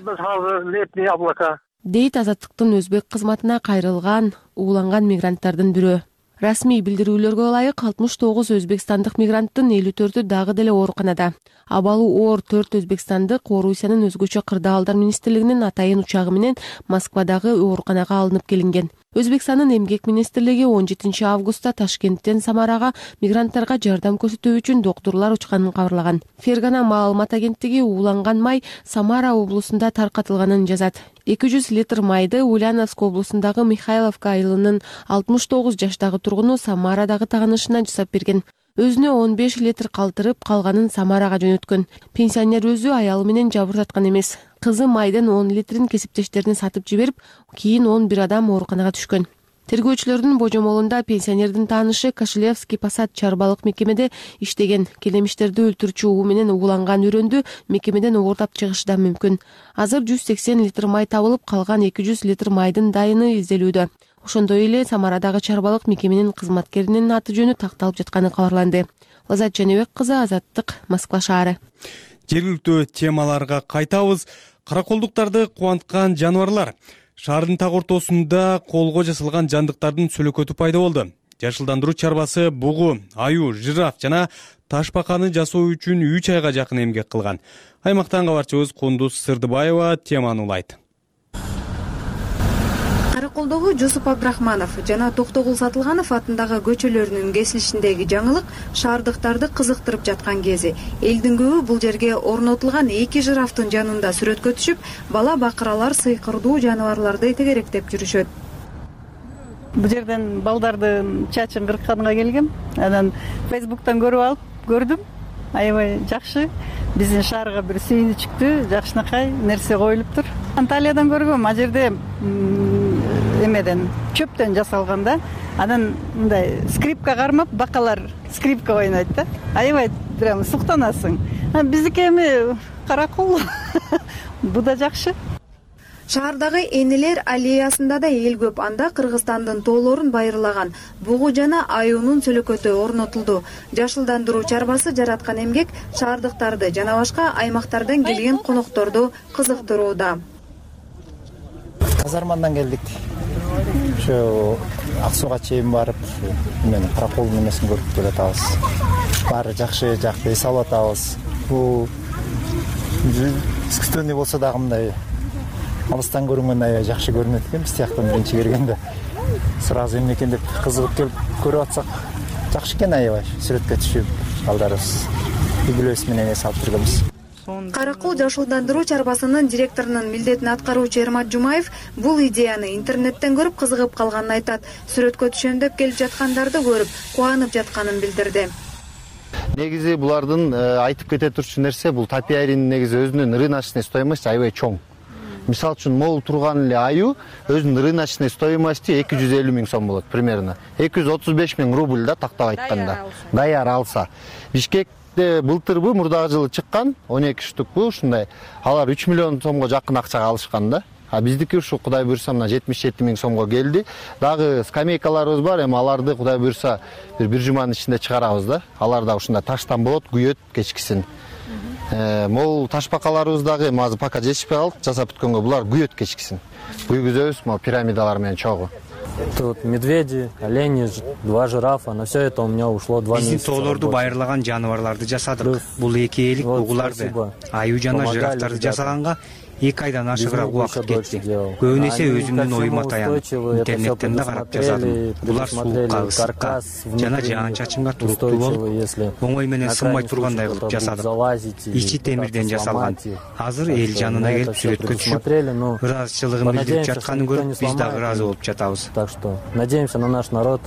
Дейт Азаттыктын өзбек кызматына кайрылган, ууланган мигранттардын бирөө. Расмий билдирүүлөргө ылайык 69 өзбекстандык мигранттын 54-ü дагы деле ооруканада. Абалы оор 4 өзбекстандык Орусиянын өзгөчө кырдаалдар министрлигинин атайын учагы менен Москвадагы ооруканага алынып келинген. Өзбекстандын эмгек министрлиги 17 августта Ташкенттен Самарага мигранттарга жардам көрсөтүү үчүн доктурлар учканын кабарлаган. Фергана маалымат агенттиги ууланган май Самара облусунда таркатылганын жазат. 200 литр майды Ульяновск облусундагы Михайловка айылынын 69 жаштагы тургуну Самарадагы тааныштарына жасап берген. Өзүнө 15 литр калтырып, калганын Самарага жөнөткөн. Пенсионер өзү аялы менен жабыр таткан эмес. Кызы майдын 10 литрин кесиптештерине сатып жиберип, кийин 11 адам ооруканага түшкөн. Тергөөчүлөрдүн божомолунда пенсионердин таанышы Кашелевский Посад чарбалык мекемеде иштеген. Келемиштерди өлтүрүүчү уу менен ууланган үрөндү мекемеден уурдап чыгышы да мүмкүн. Азыр 180 литр май табылып, калган 200 литр майдын дайыны изделүүдө. Ошондой эле Самарадагы чарбалык мекеменин кызматкеринин аты жөнү такталып жатканы кабарланды. Лазат Жанебек кызы, Азаттык, Москва шаары. Жергиликтүү темаларга кайтабыз. Караколдуктарды кубанткан жаныбарлар. Шаардын так ортосунда колго жасалган жандыктардын сөлөкөтү пайда болду. Жашылдандыруу чарбасы бугу, аю, жираф жана ташбаканы жасоо үчүн 3 айга жакын эмгек кылган. Аймактан кабарчыбыз Кундуз Сырдыбаева теманы улайт. Караколдогу Жусуп Абдрахманов жана Токтогул Сатылганов атындагы көчөлөрүнүн кесилишиндеги жаңылык шаардыктарды кызыктырып жаткан кези. Элдин көбү бул жерге орнотулган 2 жирафтын жанында сүрөткө түшүп, бала бакыралар сыйкырдуу жаныбарларды тегеректеп жүрүшөт. Бул жерден балдардын чачын кыркканга келгем. Анан Facebook'тан көрүп алып көрдүм. Аябай жакшы. Биздин шаарга бир сүйүнүчтүү, жакшынакай нерсе коюлуптур. Анталиядан көргөм, а жерде эмеден, чөптөн жасалган да. Анан мындай скрипка кармап, бакалар скрипка ойнойт да. Аябай прям суктанасың. Биздики эми каракол. Бу да жакшы. Шаардагы Энелер аллеясында да эл көп. Анда Кыргызстандын тоолорун байырлаган бугу жана аюунун сөлөкөтү орнотулду. Жашылдандыруу чарбасы жараткан эмгек шаардыктарды жана башка аймактардан келген конокторду кызыктырууда. Казармандан келдик. Ошо Ак-Сууга чейин барып, мен караколдун эмесин көрүп келатабыз. Баары жакшы, жакты эс алып атабыз. Бул искусственный болсо дагы мындай алыстан көрүнгөн аябай жакшы көрүнөт экен. Биз сыяктан биринчи келгенде сразу эмне экен деп кызыгып келип көрүп атсак жакшы экен, аябай сүрөткө түшүп балдарыбыз үй-бүлөбүз менен эс алып жүргөнбүз. Каракол жашылдандыруу чарбасынын директорунун милдетин аткаруучу Эрмат Жумаев бул идеяны интернеттен көрүп кызыгып калганын айтат. Сүрөткө түшөм деп келип жаткандарды көрүп кубанып жатканын билдирди. Негизи булардын айтып кете турчу нерсе, бул топиаринин негизи өзүнүн рыночный стоимости аябай чоң. Мисал үчүн могул турган эле аю өзүнүн рыночный стоимости 250 000 сом болот примерно. 235 000 рубль да, тактап айтканда. Даяр алса. Бишкекте былтырбы мурдагы жылы чыккан 12 штукпу ушундай. Алар 3 миллион сомго жакын акчага алышкан да. А биздики ушу Кудай буйрса мына 77 000 сомго келди. Дагы скамейкаларыбыз бар, эми аларды Кудай буйрса бир жуманын ичинде чыгарабыз да. Алар да ушундай таштан болот, күйөт кечкисин. Могул ташбакаларыбыз дагы азыр пока жетишпей калды, жасап бүткөнгө булар күйөт кечкисин. Күйгүзөбүз, могу пирамидалар менен чогуу. Тут медведи, олени, 2 жирафа, на все это у меня ушло 2 месяца. Биздин тоолорду байырлаган жаныбарларды жасадык. Бул 2 элик бугуларды, аю жана жирафтарды жасаганга 2 айдан ашыгыраак убакыт кетти. Көбүн эсе өзүмдүн оюма таянып, интернеттен да карап жасадым. Булар суукка, ысыкка жана жаан-чачынга туруктуу болуп, оңой менен сынбай тургандай кылып жасадык. Ичи темирден жасалган. Азыр эл жанына келип сүрөткө түшүп, ыраазычылыгын билдирип жатканын көрүп, биз дагы ыраазы болуп жатабыз. Так что надеемся на наш народ.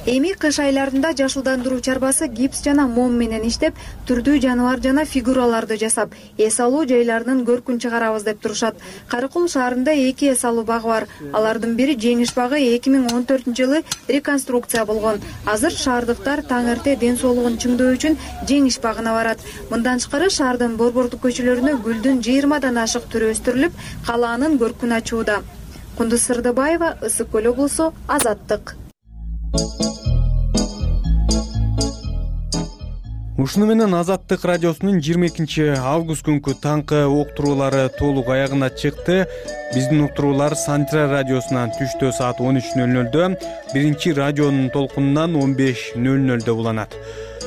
Эми кыш айларында жашылдандыруу чарбасы гипс жана мом менен иштеп, түрдүү жаныбар жана фигураларды жасап, эс алуу жайларынын көркүн чыгарабыз деп турушат. Карыкул шаарында 2 эс алуу багы бар. Алардын бири Жеңиш багы 2014-жылы реконструкция болгон. Азыр шаардыктар таң эрте ден соолугун чыңдоо үчүн Жеңиш багына барат. Мындан тышкары шаардын борбордук көчөлөрүнө гүлдүн 20дан ашык түрү өстүрүлүп, калаанын көркүн ачууда. Кундуз Сырдыбаева, Ысык Көл облусу, Азаттык. Ушуну менен Азаттык радиосунун 22 август күнкү таңкы уктуруулары толук аягына чыкты. Биздин уктуруулар Сантра радиосунан түштө саат 13:00, биринчи радионун толкунунан 15:00 уланат.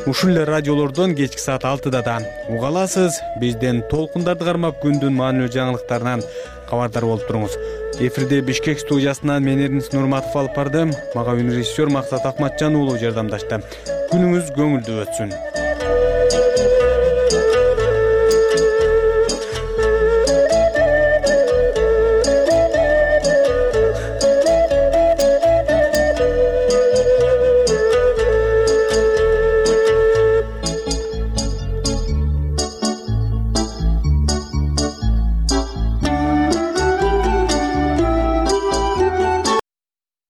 Ушул эле радиолордон кечки саат 6-да да уга аласыз. Бизден толкундарды кармап күндүн маанилүү жаңылыктарынан кабардар болуп туруңуз. Эфирде Бишкек студиясынан мен Эрнис Нурматов алып бардым. Мага режиссер Максат Акматжан уулу жардамдашты. Күнүңүз көңүлдүү өтсүн.